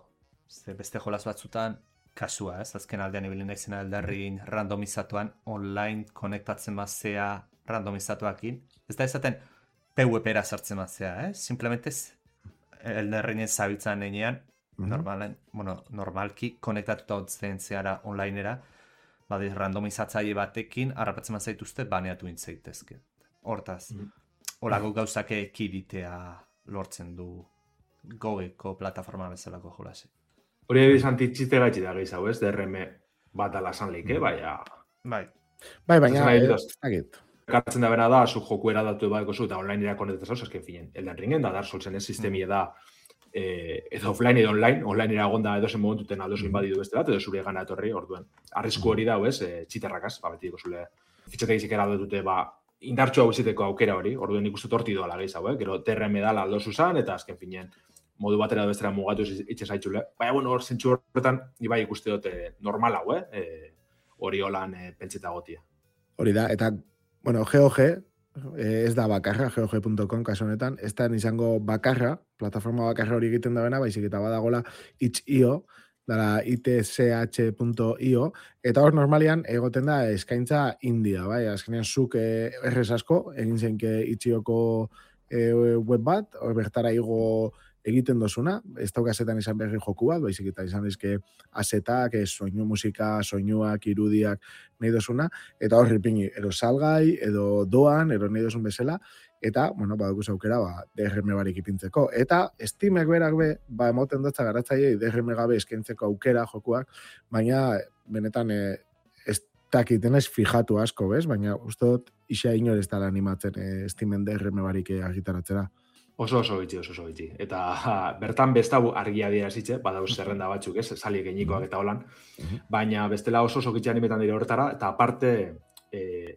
Beste jolas batzutan, kasua, azken aldean ibilin naizena aldarrin randomizatuan, online konektatzen mazea randomizatuakin. Ez da ezaten PvP-era sartzen mazea, Simplemente elderrinen zabiltzan enean, normalki konektatuta hotzen zeara onlinera, randomizatzaile batekin, harrapatzen mazaituzte, baneatu intzaitezke. Hortaz, holako gauzake ekiditea lortzen du GOG-eko plataforma bezalako jolase. Hori ebiz antitxite gaitxi da gehiago, ez? DRM bat alasan leike, baina... baina, kartzen da bena da, zu joku eradatu baiko zu, eta online erakonetetaz hau, azken finen, Elden Ringen da, Dark Soulsen ez sistemie da, edo offline edo online eragonda edozen momentuten aldozu inbadidu beste bat, edo zure gana etorri, orduen. Arrisku hori da, txiterrakaz, beti diko zule fitxategizik eradatute, indartxo hau iziteko aukera hori, orduen nik uste torti doala gehiago, gero DRM dala aldozu zan, eta azken finen, modu batera edo bestera mugatu itxe zaitzule. Baina, hor zentsu horretan, ibai ikuste dute normal hau, hori holan pentseta gotia. Hori da, eta, GOG, ez da bakarra, GOG.com kasu honetan, ez da izango bakarra, plataforma bakarra hori egiten da bena, baizik eta badagola itch.io, dara itch.io, eta hor normalian egoten da eskaintza india, bai, azkenean zuk errez asko, egin zenke itch.ioko web bat, hor bertara igo egiten dozuna, ez daukazetan izan berri joku bat, baizik eta izan dizke asetak, soinu musika, soinuak, irudiak nahi dozuna, eta horri pini, ero salgai, edo doan, ero nahi dozun bezala, eta, badukuz aukera, DRM barik ipintzeko. Eta Steamek berak be, emoten dutza garatzaiei DRM gabe eskentzeko aukera jokuak, baina benetan ez dakiten ez fijatu asko, bez? Baina uste dut isa inor ez dala animatzen Steamen DRM barik argitaratzera. Oso bitxi. Eta bertan bestabu argia adierazitze, badauz zerrenda batzuk, ez? Sali genikoak eta holan. Baina bestela oso bitxi animetan dire horretara, eta aparte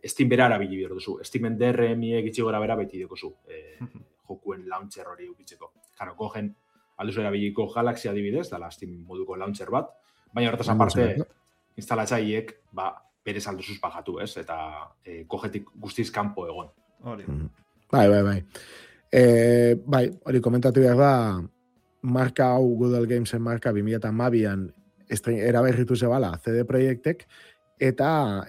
Steam bera erabili behar duzu. Steamen DRM-iek itxigora bera beti dekozu. Jokuen launcher hori ukitzeko. Karo, gogen alduzu erabiliko Galaxy adibidez, dala Steam moduko launcher bat. Baina horretaz aparte, instalatzaileek berez alduzuz bajatu, ez? Eta gogetik guztiz kanpo egon. Bai. Hori komentatu behar da, marka hau Google Gamesen marka 2012an eraberritu zebala CD Projektek, eta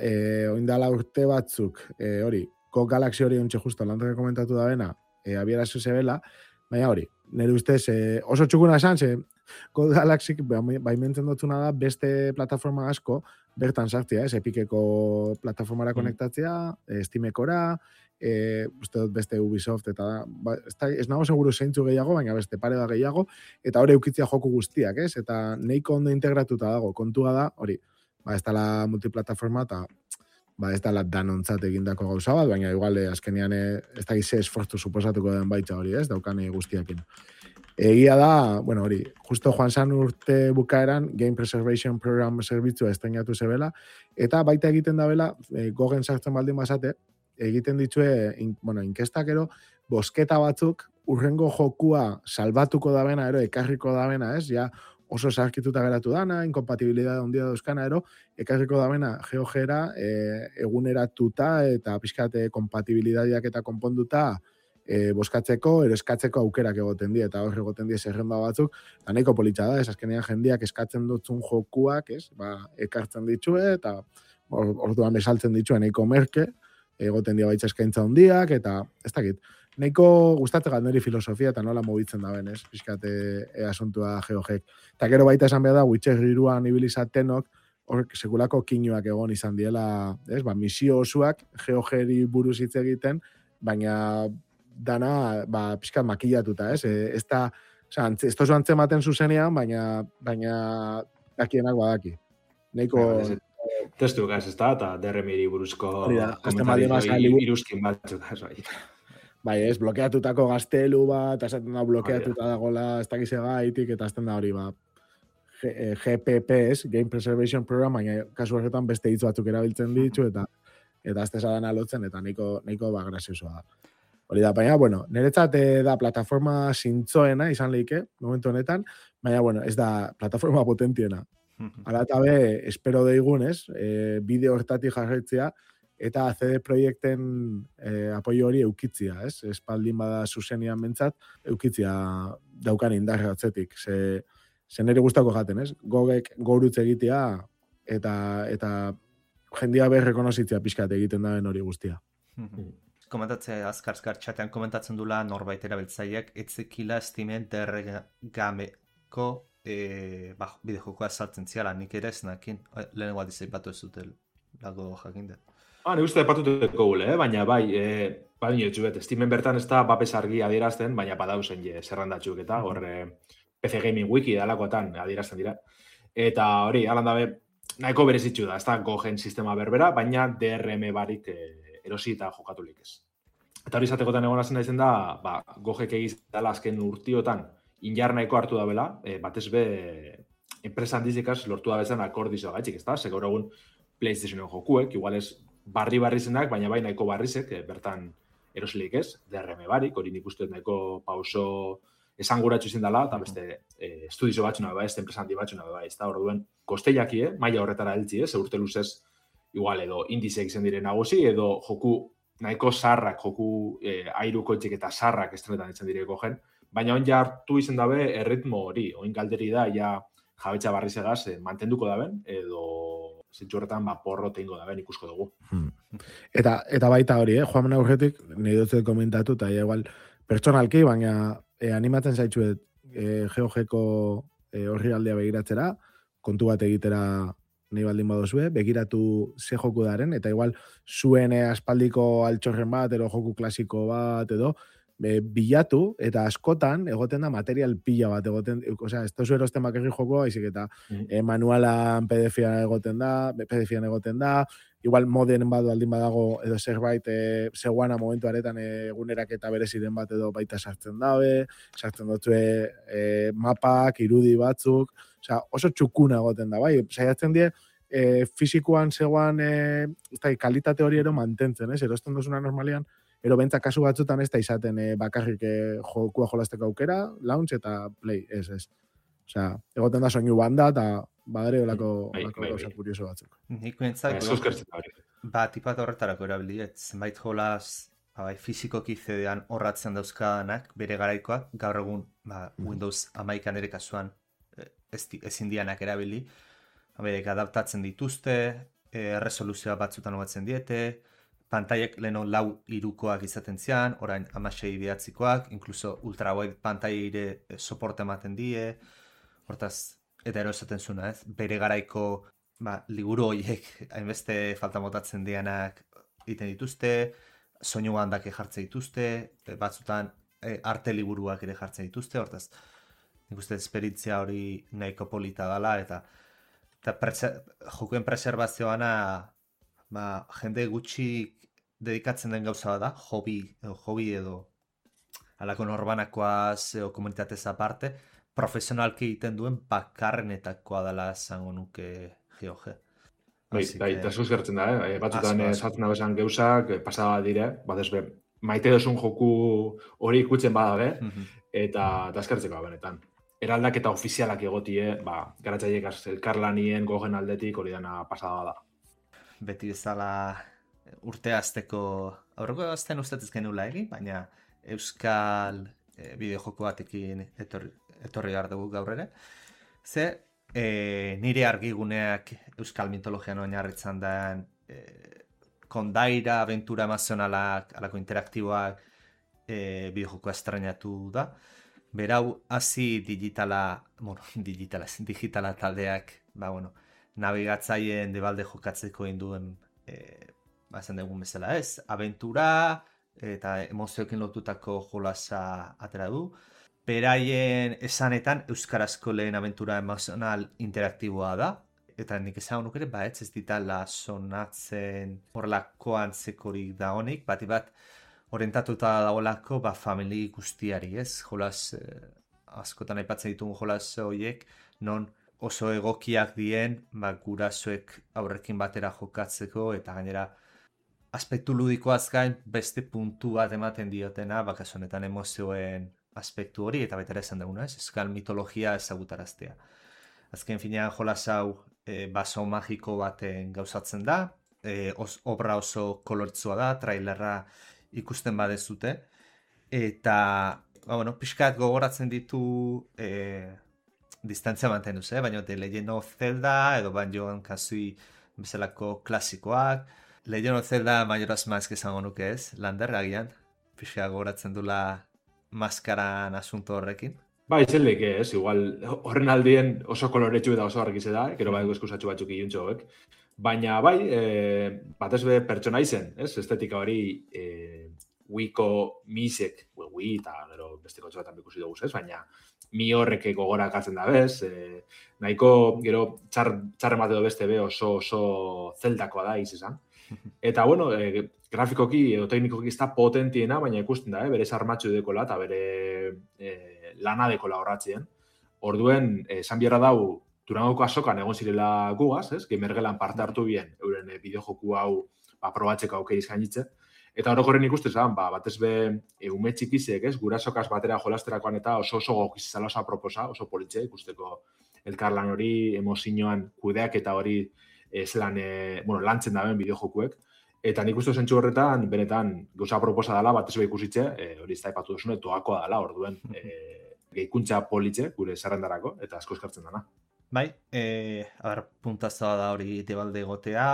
oindala urte batzuk, hori, Go Galaxy hori ontxe justo, lantoke komentatu da bena, abierazu zebela, baina hori, nire ustez oso txukuna esan, ze Go Galaxy baimentzen dutuna da beste plataforma asko, bertan sartzea, Epiceko plataformara konektatzea, Steamekora, uste dut beste Ubisoft, eta ez nago seguru zeintzu gehiago, baina beste pare da gehiago, eta hori eukitzia joku guztiak, ez? Eta nahiko ondo integratuta dago, kontua da, hori, ez dala multiplataforma, eta ez dala danontzat egindako gauza bat, baina igual azkenean ez da gize esfortu suposatuko den baitza hori, ez? Daukan guztiakin. Egia da, bueno, hori, justo joan zan urte bukaeran, Game Preservation Program zerbitzua estrenatu zebela, eta baita egiten da bela, gogen sartzen baldin bazate, egiten ditue, inkestakero, bosketa batzuk, urrengo jokua salbatuko da bena, ekarriko da bena, ez? Ja, oso zarkituta geratu dana, inkompatibilidad ondia dauzkana, ekarriko da bena, GeoGera, eguneratuta, eta pixkate kompatibilidadiak eta konponduta, boskatzeko, eskatzeko aukerak egoten die, eta hor egoten die zerrenda batzuk, eta nahiko politxa da, azkenean jendiak eskatzen dutzun jokuak, ekartzen ditue, eta orduan besaltzen ditue nahiko merke, egoten dia baitza eskaintza hondiak, eta ez dakit, nahiko gustatzen gat niri filosofia, eta nola mobitzen da ben, pixkate asuntua GeoGek. Eta gero baita esan behar da, Witcher 3an ibilizatenok, hor sekulako kinuak egon izan diela, misio osuak GeoGeri buruz hitz egiten, baina dana, pixkat makillatuta, ez? Ez da, ez tozu antzematen zuzenean, baina dakienak badaki. Neiko... Testu gaz, ez da, eta DRM-iri buruzko komentario iruzkin batzuk, bai, ez, blokeatutako gaztelu bat, esaten da blokeatuta dagoela, ez dakize gaitik, eta azten da hori, GPPs, Game Preservation Program, baina kasu horretan beste hitz batzuk erabiltzen ditu, eta azte zadan alotzen, eta nahiko graziosoa da. Hori da, baina, bueno, niretzat da plataforma zintzoena izan lehike, momentu honetan, baina, bueno, ez da plataforma potentiena. Hala eta be, espero deigun, ez, bideo hortatik jarretzea, eta CD Projekten apoio hori eukitzia, ez? Espaldin bada zuzenian bentsat, eukitzia daukan indarra atzetik. Ze nire guztako jaten, ez? Gogek gorutze egitea, eta jendia berrekonozitzea pixkat egiten daben hori guztia. Komentatzea azkar txatean komentatzen dula norbait erabiltzaileak etzekila Steamen derregameko bideojokoa saltzen ziala, nik ere ez nakin, lehenengo aldiz aipatu ez dute lago jakinde. Nik uste aipatuteko gule, baina bai, Steamen bertan ez da bapes argi adierazten, baina badauzen zerrandatxuk eta PC Gaming Wiki dalakoetan adierazten dira. Eta hori, alan dabe, nahiko berezitxu da, ez da gogen sistema berbera, baina DRM barik erosi eta jokatulik ez. Eta hori izatekotan egon hazen daizen da, gogek egiztala azken urtiotan injar nahiko hartu da bela, batez be, enpresa handizikaz lortu da bezan akordizoa gaitxik, ez da? Gaur egun PlayStationen jokuek, igual ez barri zenak, baina bai nahiko barrizek, bertan erosilik ez, DRM barik, hori nik uste nahiko pauso esanguratxu izin dela, eta beste estudizo batxuna beba, ez enpresa handi batxuna beba, ez da? Orduen, kosteiaki, maila horretara heltzi, urte luzez, igual edo indizeak izan diren nagusi, edo joku nahiko sarrak, joku airuko etxek eta sarrak estrenetan izan direko gen, baina on ja hartu izan dabe erritmo hori, oin galderi da, ja jabetxa barrizegaz mantenduko daben, edo zentsu horretan porro teingo daben ikusko dugu. Eta baita hori, joan aurretik, nahi dut komentatu, eta igual pertsonalki, baina animatzen zaitzuet GeoGeko horri aldea begiratzera, kontu bat egitera nahi baldin badozue, begiratu ze joku daren, eta igual zuen aspaldiko altxorren bat, edo joku klasiko bat, edo bilatu, eta askotan egoten da material pila bat, osea, ez tozu erosten bakarri jokoa, izik eta manualan PDF-an egoten da, igual moden bat baldin badago, edo zerbait zegoana momentu aretan egunerak eta bereziren bat edo baita sartzen dabe, sartzen dutue mapak, irudi batzuk, osea, oso txukuna egoten da, bai, saiatzen die, fizikoan zegoan kalitate hori ero mantentzen, erosten duzuna normalian, ero bentzak kasu batzutan ez da izaten bakarrik jokua jolasteko aukera, launch eta play, ez. Osea, egoten da soinu banda eta badare olako gauza kurioso batzuk. Nik bentzak, tipat horretarako erabiliet, zenbait jolaz fizikoki CD-an horratzen dauzkadanak, bere garaikoak, gaur egun Windows 11 ere kasuan ezin dianak erabili, berek adaptatzen dituzte, erresoluzioa batzutan hobetzen diete, pantailak leheno 4:3 izaten zian, orain 16:9, inkluso ultrawide pantaire soporte ematen die, hortaz, eta ero esaten zuna, ez? Bere garaiko liburu horiek hainbeste falta botatzen dianak egiten dituzte, soinu bandak jartzen dituzte, batzutan arte liburuak ere jartzen dituzte, hortaz, nik uste esperientzia hori nahiko polita dela, eta jokuen preservazioana jende gutxi dedikatzen den gauza da, hobby edo alako norbanakoaz edo komunitatez aparte, profesionalki egiten duen bakarrenetakoa dela esango nuke GOG. Bai, eta asko eskertzen da, batzutan saltzen da bezan gauzak, pasada dire, batezbe, maite dozun joku hori ikutzen badabe, eta eskertzeko benetan. Eraldaketa ofizialak egotie, garatzaileek elkarlanien gogen aldetik hori dana pasada da. Beti bezala urte azteko, aurreko azten ustatez genula egin, baina euskal bideojoko batekin etorri behar dugu gaur ere. Ze, nire argiguneak euskal mitologian oinarritzen den kondaira, aventura emazionalak, alako interaktiboak bideojoko estrenatu da. Berau, hasi digitala taldeak, nabigatzaien debalde jokatzeko induen esan dugun bezala ez, aventura eta emozioekin lotutako jolasa atera du. Beraien esanetan euskarazko lehen aventura emozional interaktiboa da, eta nik esan honuk ere, ez ditala sonatzen horrelako antzekorik da honik, bat orientatuta dagoelako famili guztiari, ez? Jolas, askotan aipatzen ditugun jolas horiek, non oso egokiak dien, gurasoek aurrekin batera jokatzeko, eta gainera aspektu ludikoaz gain beste puntu bat ematen diotena, kasu honetan emozioen aspektu hori, eta baita ere esan duguna, ez? Euskal mitologia ezagutaraztea. Azken finean jolas hau baso magiko baten gauzatzen da, obra oso kolortzua da, trailerra ikusten badezute, eta pixkat gogoratzen ditu distantzia mantenduz, baina The Legend of Zelda edo Banjoan Kazooie bezalako klasikoak. Legend of Zelda Majora's Mask esango nuke ez, Lander agian, pixkat gogoratzen dula maskaran asunto horrekin. Itzelik ez, igual horren aldien oso koloretsu eta oso argize da, gero bai eskusatxo batzuk iluntxoek. Baina batez be pertsona izen, ez? Estetika hori Wiiko misek, Wii eta gero beste kotxoetan bikusi dugu, ez? Baina mi horrek gogorak atzen da bez, nahiko gero txarren bat edo beste be oso zeldakoa da izan. Eta grafikoki edo teknikoki ez da potentiena, baina ikusten da, bere sarmatxo dekola eta bere lana dekola horratzien. Orduen, esan biherra dau, Durangoko azokan egon zirela gugaz, ez? Gamergelan parte hartu bien, euren bideojoku hau probatzeko aukeriz gainitze. Eta orokorren ikustez, batez be ume txikizek, ez? Gurasokaz batera jolasterakoan eta oso gokizizala oso aproposa, oso politxe ikusteko elkarlan hori, emozioan kudeak eta hori lantzen daben bideojokuek. Eta nik uste zentzu horretan, benetan, gauza aproposa dela, batez be ikusitze, hori ez da ipatu duzune, toakoa dela, orduen gehikuntza politxe gure zerrendarako, eta asko eskartzen dana. Bai, puntazoa da hori debalde egotea,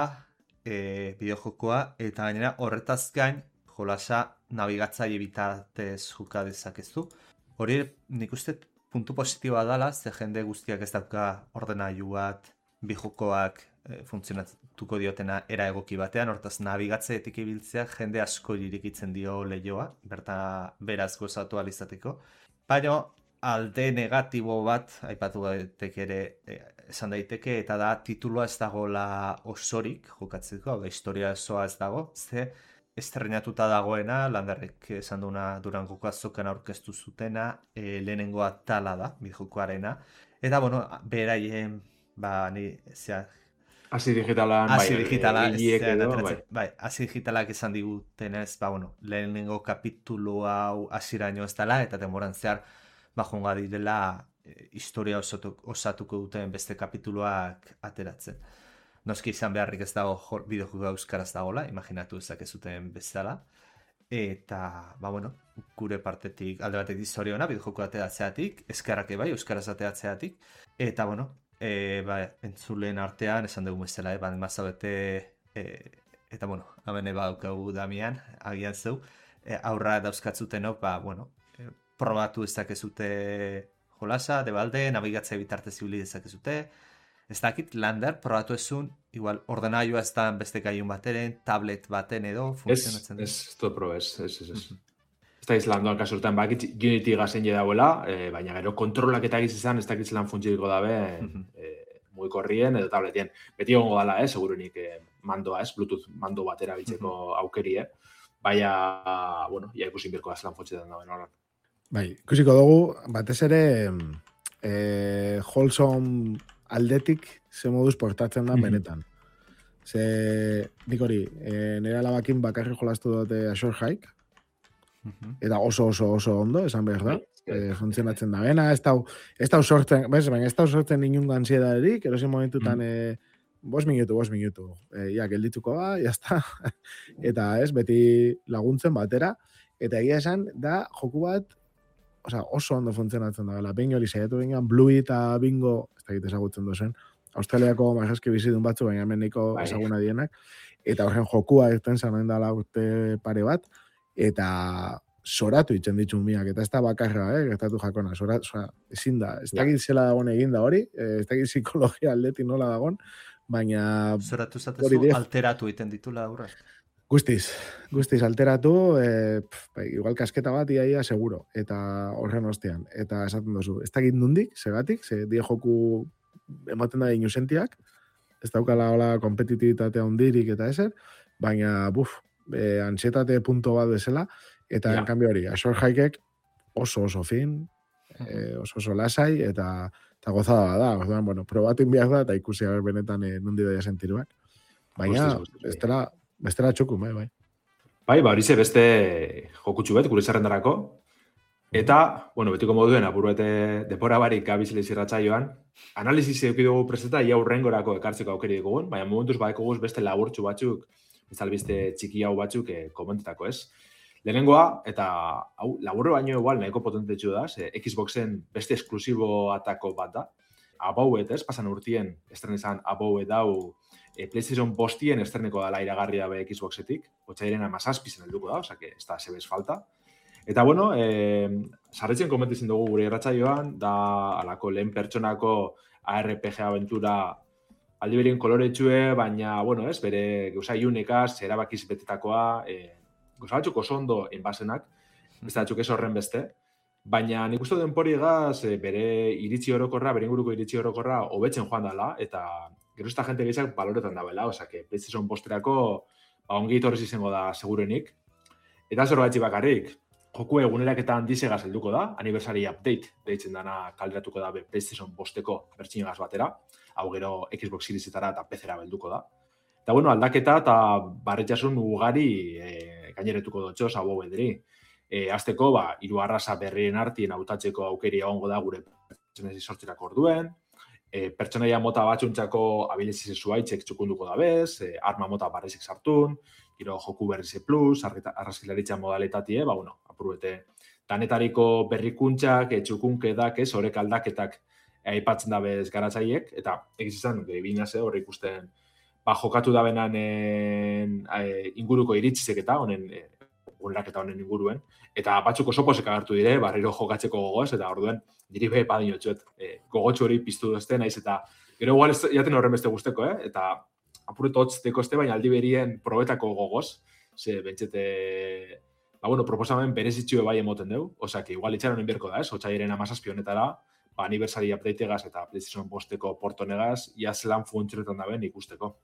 bideojokoa, eta gainera horretaz gain jolasa nabigatzaile bitartez joka dezakezu. Hori nik uste puntu positiboa dela, ze jende guztiak ez dauka ordenailu bat, bideojokoak funtzionatuko diotena era egoki batean, hortaz nabigatzaietik ibiltzea jende asko irikitzen dio lehioa, beraz gozatu alizateko. Baina alde negatibo bat, aipatu daiteke ere esan daiteke, eta da titulua ez dagoela osorik jokatzeko, historia osoa ez dago, ze estrenatuta dagoena, Landerrek esan duna Durangoko azokan aurkeztu zutena, lehenengo atala da, bideojokoarena, eta beraien, Hasi digitalan, hasi digitalak esan digutenez, lehenengo kapitulu hau hasiraino ez dela, eta denboran zehar jonga direla historia osatuko duten beste kapituluak ateratzen. Noski izan beharrik ez dago bideojoko euskaraz dagoela, imaginatu ezakezuten bezala. Eta, gure partetik alde batetik zoriona, bideojoko ateratzeatik, eskerrak bai, euskaraz ateratzeatik. Eta, entzulen artean, esan dugu bezala, mazabete, eta bueno, hemen badaukagu Damian, agian zeu, aurra dauzkatzutenok, probatu ezakezute jolasa, debalde, nabigatzea bitartez ibili dezakezute, ez dakit, Lander, probatu ezun, igual, ordenagaiua ez da beste gaiun bateren, tablet baten edo, funtzionatzen. Ez probe, ez. Ez da izlandoan kasurtan, bakit Unity gazen dauela, baina gero kontrolak eta egiz izan, ez dakit zelan funtzioiko dabe, mugikorrien edo tabletien. Beti egongo dala, segurunik mandoa, Bluetooth mando batera bitzeko aukerie, baina, ja ikusin birko da zelan funtzioetan daben horan. Bai, ikusiko dugu, batez ere, Wholesome aldetik ze moduz portatzen da benetan. Ze, nik hori, nire alabakin bakarri jolastu dute Azure Hike, eta oso ondo, esan behar da, funtzionatzen da bena, ez da sortzen, baina ez da sortzen inun ansiedadarik, erosin momentutan 5 minutu, geldituko da, jazta, eta beti laguntzen batera, eta egia esan, da joku bat, oso ondo funtzionatzen da, behin hori saiatu behin, Bluey eta Bingo, ez dakit ezagutzen dozen, Australiako majeski bizidun batzu, baina hemen niko ezaguna dienak, eta horren jokua irten zanen dala urte pare bat, eta soratu itzen ditun miak, eta ez da bakarra, gertatu jakona, ezin da, ez dakit zela dagoen eginda hori, ez dakit psikologia aldetik nola dagoen, baina... Soratu zatezu, alteratu iten ditula aurra. Guztiz alteratu, igual kasketa bat iaia seguro, eta horren ostean, eta esaten dozu, ez dakit nundik, segatik, ze die joku ematen da inusentiak, ez daukala hola kompetitibitatea hundirik eta ezer, baina, ansietate punto bat bezala, eta en cambio hori, Azure Hikek oso fin, oso lasai, eta gozada da, orduan, probatu inbiak da, eta ikusi haber benetan nundi doia sentiruak. Baina, bestela txukun, bai. Bai, horize beste jokutxu bet, gure zerrendarako. Eta, betiko moduen, apuruete depora barik gabizile zirratzaioan, analizis edukidugu preseta, ia urrengorako ekartzeko aukeri dugun, baina momentuz badekoguz beste laburtxu batzuk, bezalbiste txiki hau batzuk komentetako, ez? Lehenengoa, eta laburro baino igual nahiko potentetxu da, Xboxen beste esklusibo atako bat da, Abowed, pasan urtien estrenizan Abowed dau PlayStation bostien estreneko dala iragarri dabe Xboxetik, otxairen 17 zen helduko da, osea que ez da sebez falta. Eta sarretzen komentizien dugu gure irratsaioan, da alako lehen pertsonako ARPG aventura aldiberien koloretxue, baina, bere gauza iunekaz, erabakiz betetakoa, gauza batzuk oso ondo enbasenak, ez da batzuk ez horren beste, baina nik uste denpori egaz, bere iritzi orokorra, bere inguruko iritzi orokorra hobetzen joan dela, eta gero esta gente gehiak baloretan dabela, osea que PlayStation posterako ongi torrez izango da segurenik. Eta zerbaitzi bakarrik, joku eguneraketa handizegaz helduko da, anniversary update deitzen dana kalderatuko da PlayStation bosteko bertxinegaz batera, hau gero Xbox Seriesetara eta PC-era belduko da. Eta aldaketa eta barretxasun ugari gaineretuko dutxoz Abowedri. Azteko, 3 arraza berrien artien hautatzeko aukeri egongo da gure pertsonezi sortzerako orduen, pertsonaia mota batxuntzako abilizize zuaitzek txukunduko da bez, arma mota barrezik sartun, gero joku berrize plus, arrazkilaritza modalitatie, apuruete, danetariko berrikuntzak, txukunkedak, horrek aldaketak aipatzen da bez garatzaiek, eta egiz izan, binaze hor ikusten, jokatu da benan inguruko iritzizek eta honen honen inguruen, eta batzuk oso posek agertu dire, barriro jokatzeko gogoz, eta orduen, diri behe padinotxuet, gogotxu hori piztu dozte, naiz, eta gero igual jaten horren beste guzteko, eta apuretu hotzteko este, baina aldi berien probetako gogoz, ze bentsete, proposamen berezitxue bai emoten deu, osea, que igual itxaron inbierko da, otxairen 17 honetara, anniversary updateegaz eta PlayStation bosteko portonegaz, ia zelan funtzionetan da ben ikusteko.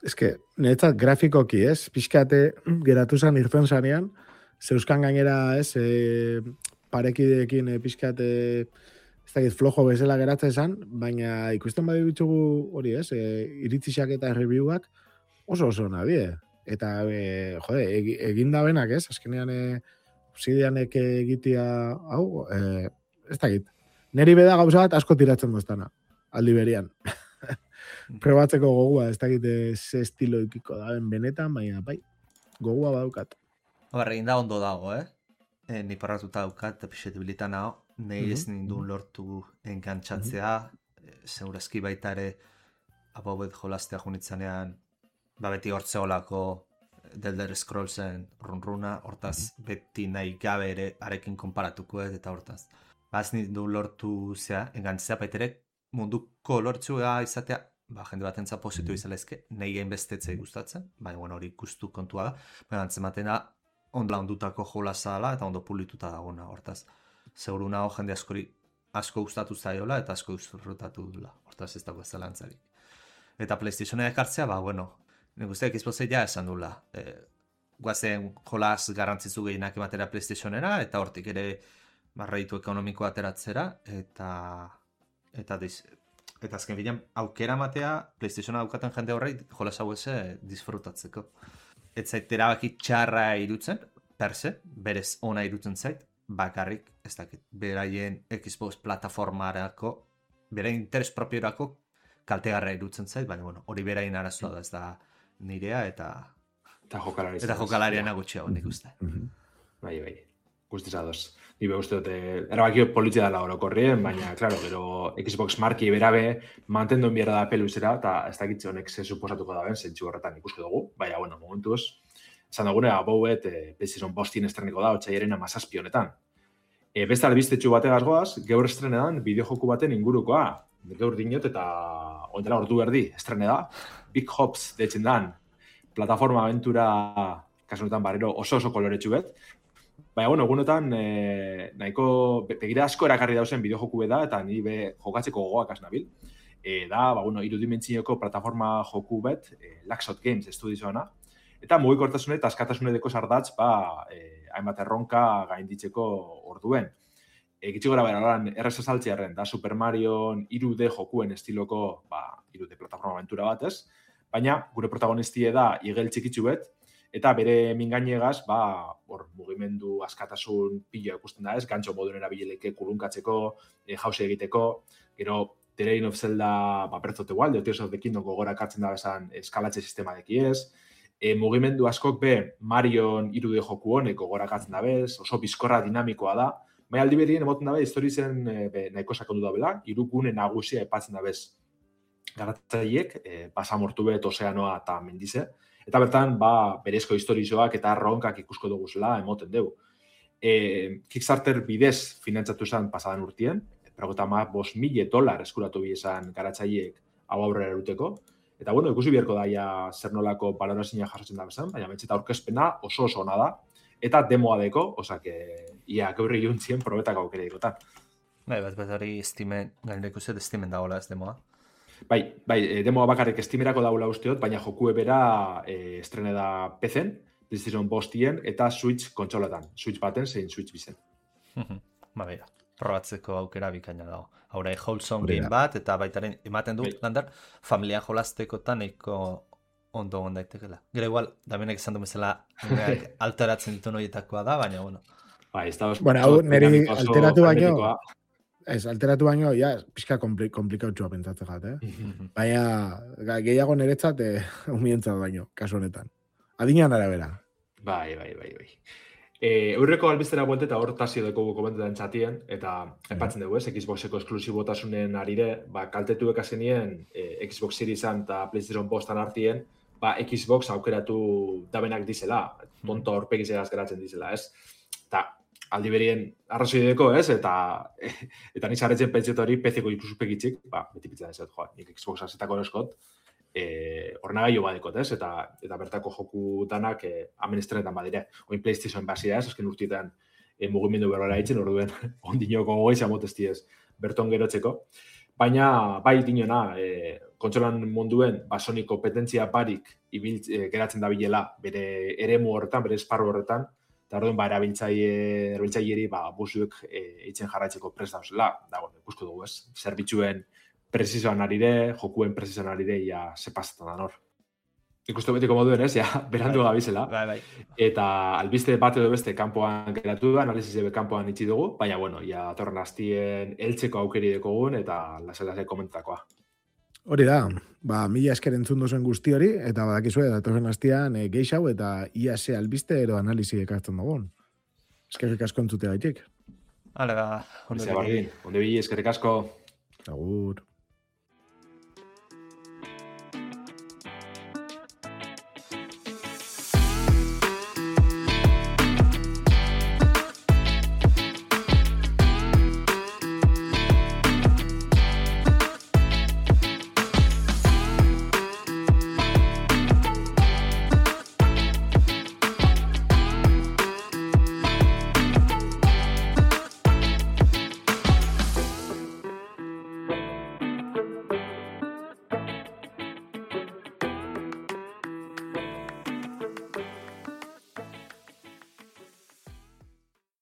Ez que, niretzat grafikoki, pixkate geratu zan irten zanean, zeuskan gainera, parekideekin pixkate, ez dakit flojo bezala geratzen zan, baina ikusten badi bitzugu hori, iritzixak eta reviewak oso nadie. Eta, egin da benak, azkenean Obsidianek egitea, hau, ez dakit. Neri beda gauza bat asko tiratzen doztana, aldi berian. Probatzeko gogua, ez dakit ze estilo ikiko da benetan, baina bai, gogua badaukat. Egin da ondo dago, Ni parratuta daukat, pixetibilitan hau, nahi ez nindun lortu engantzatzea, segurazki baita ere abobet jolaztea junitzanean, beti hortze olako The Elder Scrollsen runruna, hortaz beti nahi gabe ere arekin konparatuko eta hortaz. Bazni du lortu zea, engantzea baitere munduko lortzua izatea, jende batentza positu izalezke, nahi gain bestetzei gustatzen, baina hori gustu kontua da, baina antzematen ondla ondutako jolaza dela eta ondo pulituta dagona, hortaz. Seguru nago jende asko gustatu zaiola eta asko disfrutatu dula, hortaz ez dago zelantzarik. Eta PlayStationa ekartzea, nik uste Xboxea ja esan dula. Guazen jolaz garrantzitzu gehienak ematera PlayStationera, eta hortik ere barreitu ekonomiko ateratzera, eta azken bilan aukera matea PlayStationa daukaten jende horrei jolaz hau disfrutatzeko. Ez zait erabaki txarra irutzen, perse, berez ona irutzen zait, bakarrik, ez dakit, beraien Xbox plataformarako, beraien interes propiorako kaltegarra irutzen zait, baina hori beraien arazoa da, ez da nirea eta jokalariana gutxiago nik uste. Bai, guztiz adoz. Ni uste dut, erabakio politzia dela orokorrien, baina, klaro, gero Xbox marki berabe mantenduen biera da peluzera, eta ez dakitze honek ze suposatuko da ben, zentsu horretan ikusko dugu, baina, momentuz, esan dugune, abouet, PlayStation 5 estreniko da, otxaiaren 17 honetan. Beste albistetxu bategaz goaz, gaur estrenedan bideojoku baten ingurukoa, gaur dinot eta ondela ordu berdi estrene da, Big Hops deitzen dan, plataforma aventura kasunetan barrero oso koloretsu bet. Baina, egunotan nahiko begira asko erakarri dauzen bideojoku da eta ni jokatzeko gogoak asnabil. Da, irudimentzioko plataforma joku bet, Laxot Games estudioana. Eta mugikortasune eta askatasune deko sardatz, hainbat erronka gainditzeko orduen. Gitxi gora beralan, errez azaltzearen, da Super Mario 3D jokuen estiloko 3D plataforma aventura bat ez, baina gure protagonistie da igel txikitsu bet, eta bere mingainegaz, mugimendu askatasun pila ikusten da ez, gantxo moduen erabileleke kulunkatzeko, jause egiteko, gero The Legend of Zelda Breath of the Wild, Tears of the Kingdom gogora kartzen da bezan eskalatze sistema deki ez, mugimendu askok Marion 3D joku honek gogora kartzen da bez, oso bizkorra dinamikoa da, baina aldi berien emoten dabe, historizen nahiko sakondu da bela, irugune nagusia epatzen da bez garatzaiek, pasamortu bet, ozeanoa eta mendize, eta bertan, berezko historizoak eta ronkak ikusko duguzela emoten dugu. Kickstarter bidez finantzatu zen pasadan urtien, $5,000 eskuratu bizan garatzaiek hau aurrera eruteko, eta ikusi biharko daia zer nolako balorazioa jasotzen da bezan, baina betxeta aurkezpena oso ona da, eta demoa deko, ia gaurri juntzien probetak aukera dikotan. Bat hori Steamen, gainera ikuset Steamen dagoela ez demoa. Bai, demoa bakarrik Steamerako daula usteot, baina jokue bera estrene da PC-en, PlayStation 5 eta Switch kontsoletan. Switch baten, zein Switch bizen. Bera, probatzeko aukera bikaina dago. Haurai, wholesome game bat, eta baitaren ematen du, Lander, familia jolaztekotan nahiko ondo ondaitekela. Gero igual, Damienek esan du bezala alteratzen ditu noietakoa da, baina, hau niri alteratu baino, alteratu baino, pixka komplikautxua pentsatzen jat, Baina, gehiago niretzat, humientzat baino, kasu honetan. Adinean arabera. Bai. Eurreko albiztera buelte eta hor tasio deko komentetan txatien, eta epatzen dugu Xboxeko esklusibotasunen arire, kaltetu ekasenien Xbox Seriesan eta PlayStation 5 artien, Xbox aukeratu dabenak dizela, tonto horpegizegaz geratzen dizela, ez? Eta aldi berien arrazoi deko, ez? Eta nizaretzen pentsiotu hori PC-ko ikuspegitzik, beti pitzen ez, nik Xbox azetako eroskot, ornagailo badekot, ez? Eta bertako joku danak amen estrenetan badire. Oin PlayStation bazia ez, azken urtietan mugimendu berrora hitzen, orduen ondinoko goiz amotesti ez berton gerotzeko. Baina, bai dinona, kontsolan munduen Sony kompetentzia barik geratzen da bilela bere eremu horretan, bere esparru horretan, eta orduen erabiltzaileri buzuek eitzen jarraitzeko prest dauzela, ikusko dugu ez, zerbitzuen presizoan arire, jokuen presizoan arire, sepazatan da nor. Ikustu betiko moduen ez, berandu gabizela. Bai. Eta albiste bat edo beste kanpoan geratu da, analizizebe kanpoan itxi dugu, baina, atorren hastien eltzeko aukeri dekogun, eta lasai komentakoa. Hori da, mila esker entzun duzuen guzti hori, eta badakizue, datorren hastian geixau, eta ia ze albiste edo analizi ekartzen dugun. Eskerrik asko entzute gaitik. Hale, ondo bili, eskerrik asko. Agur.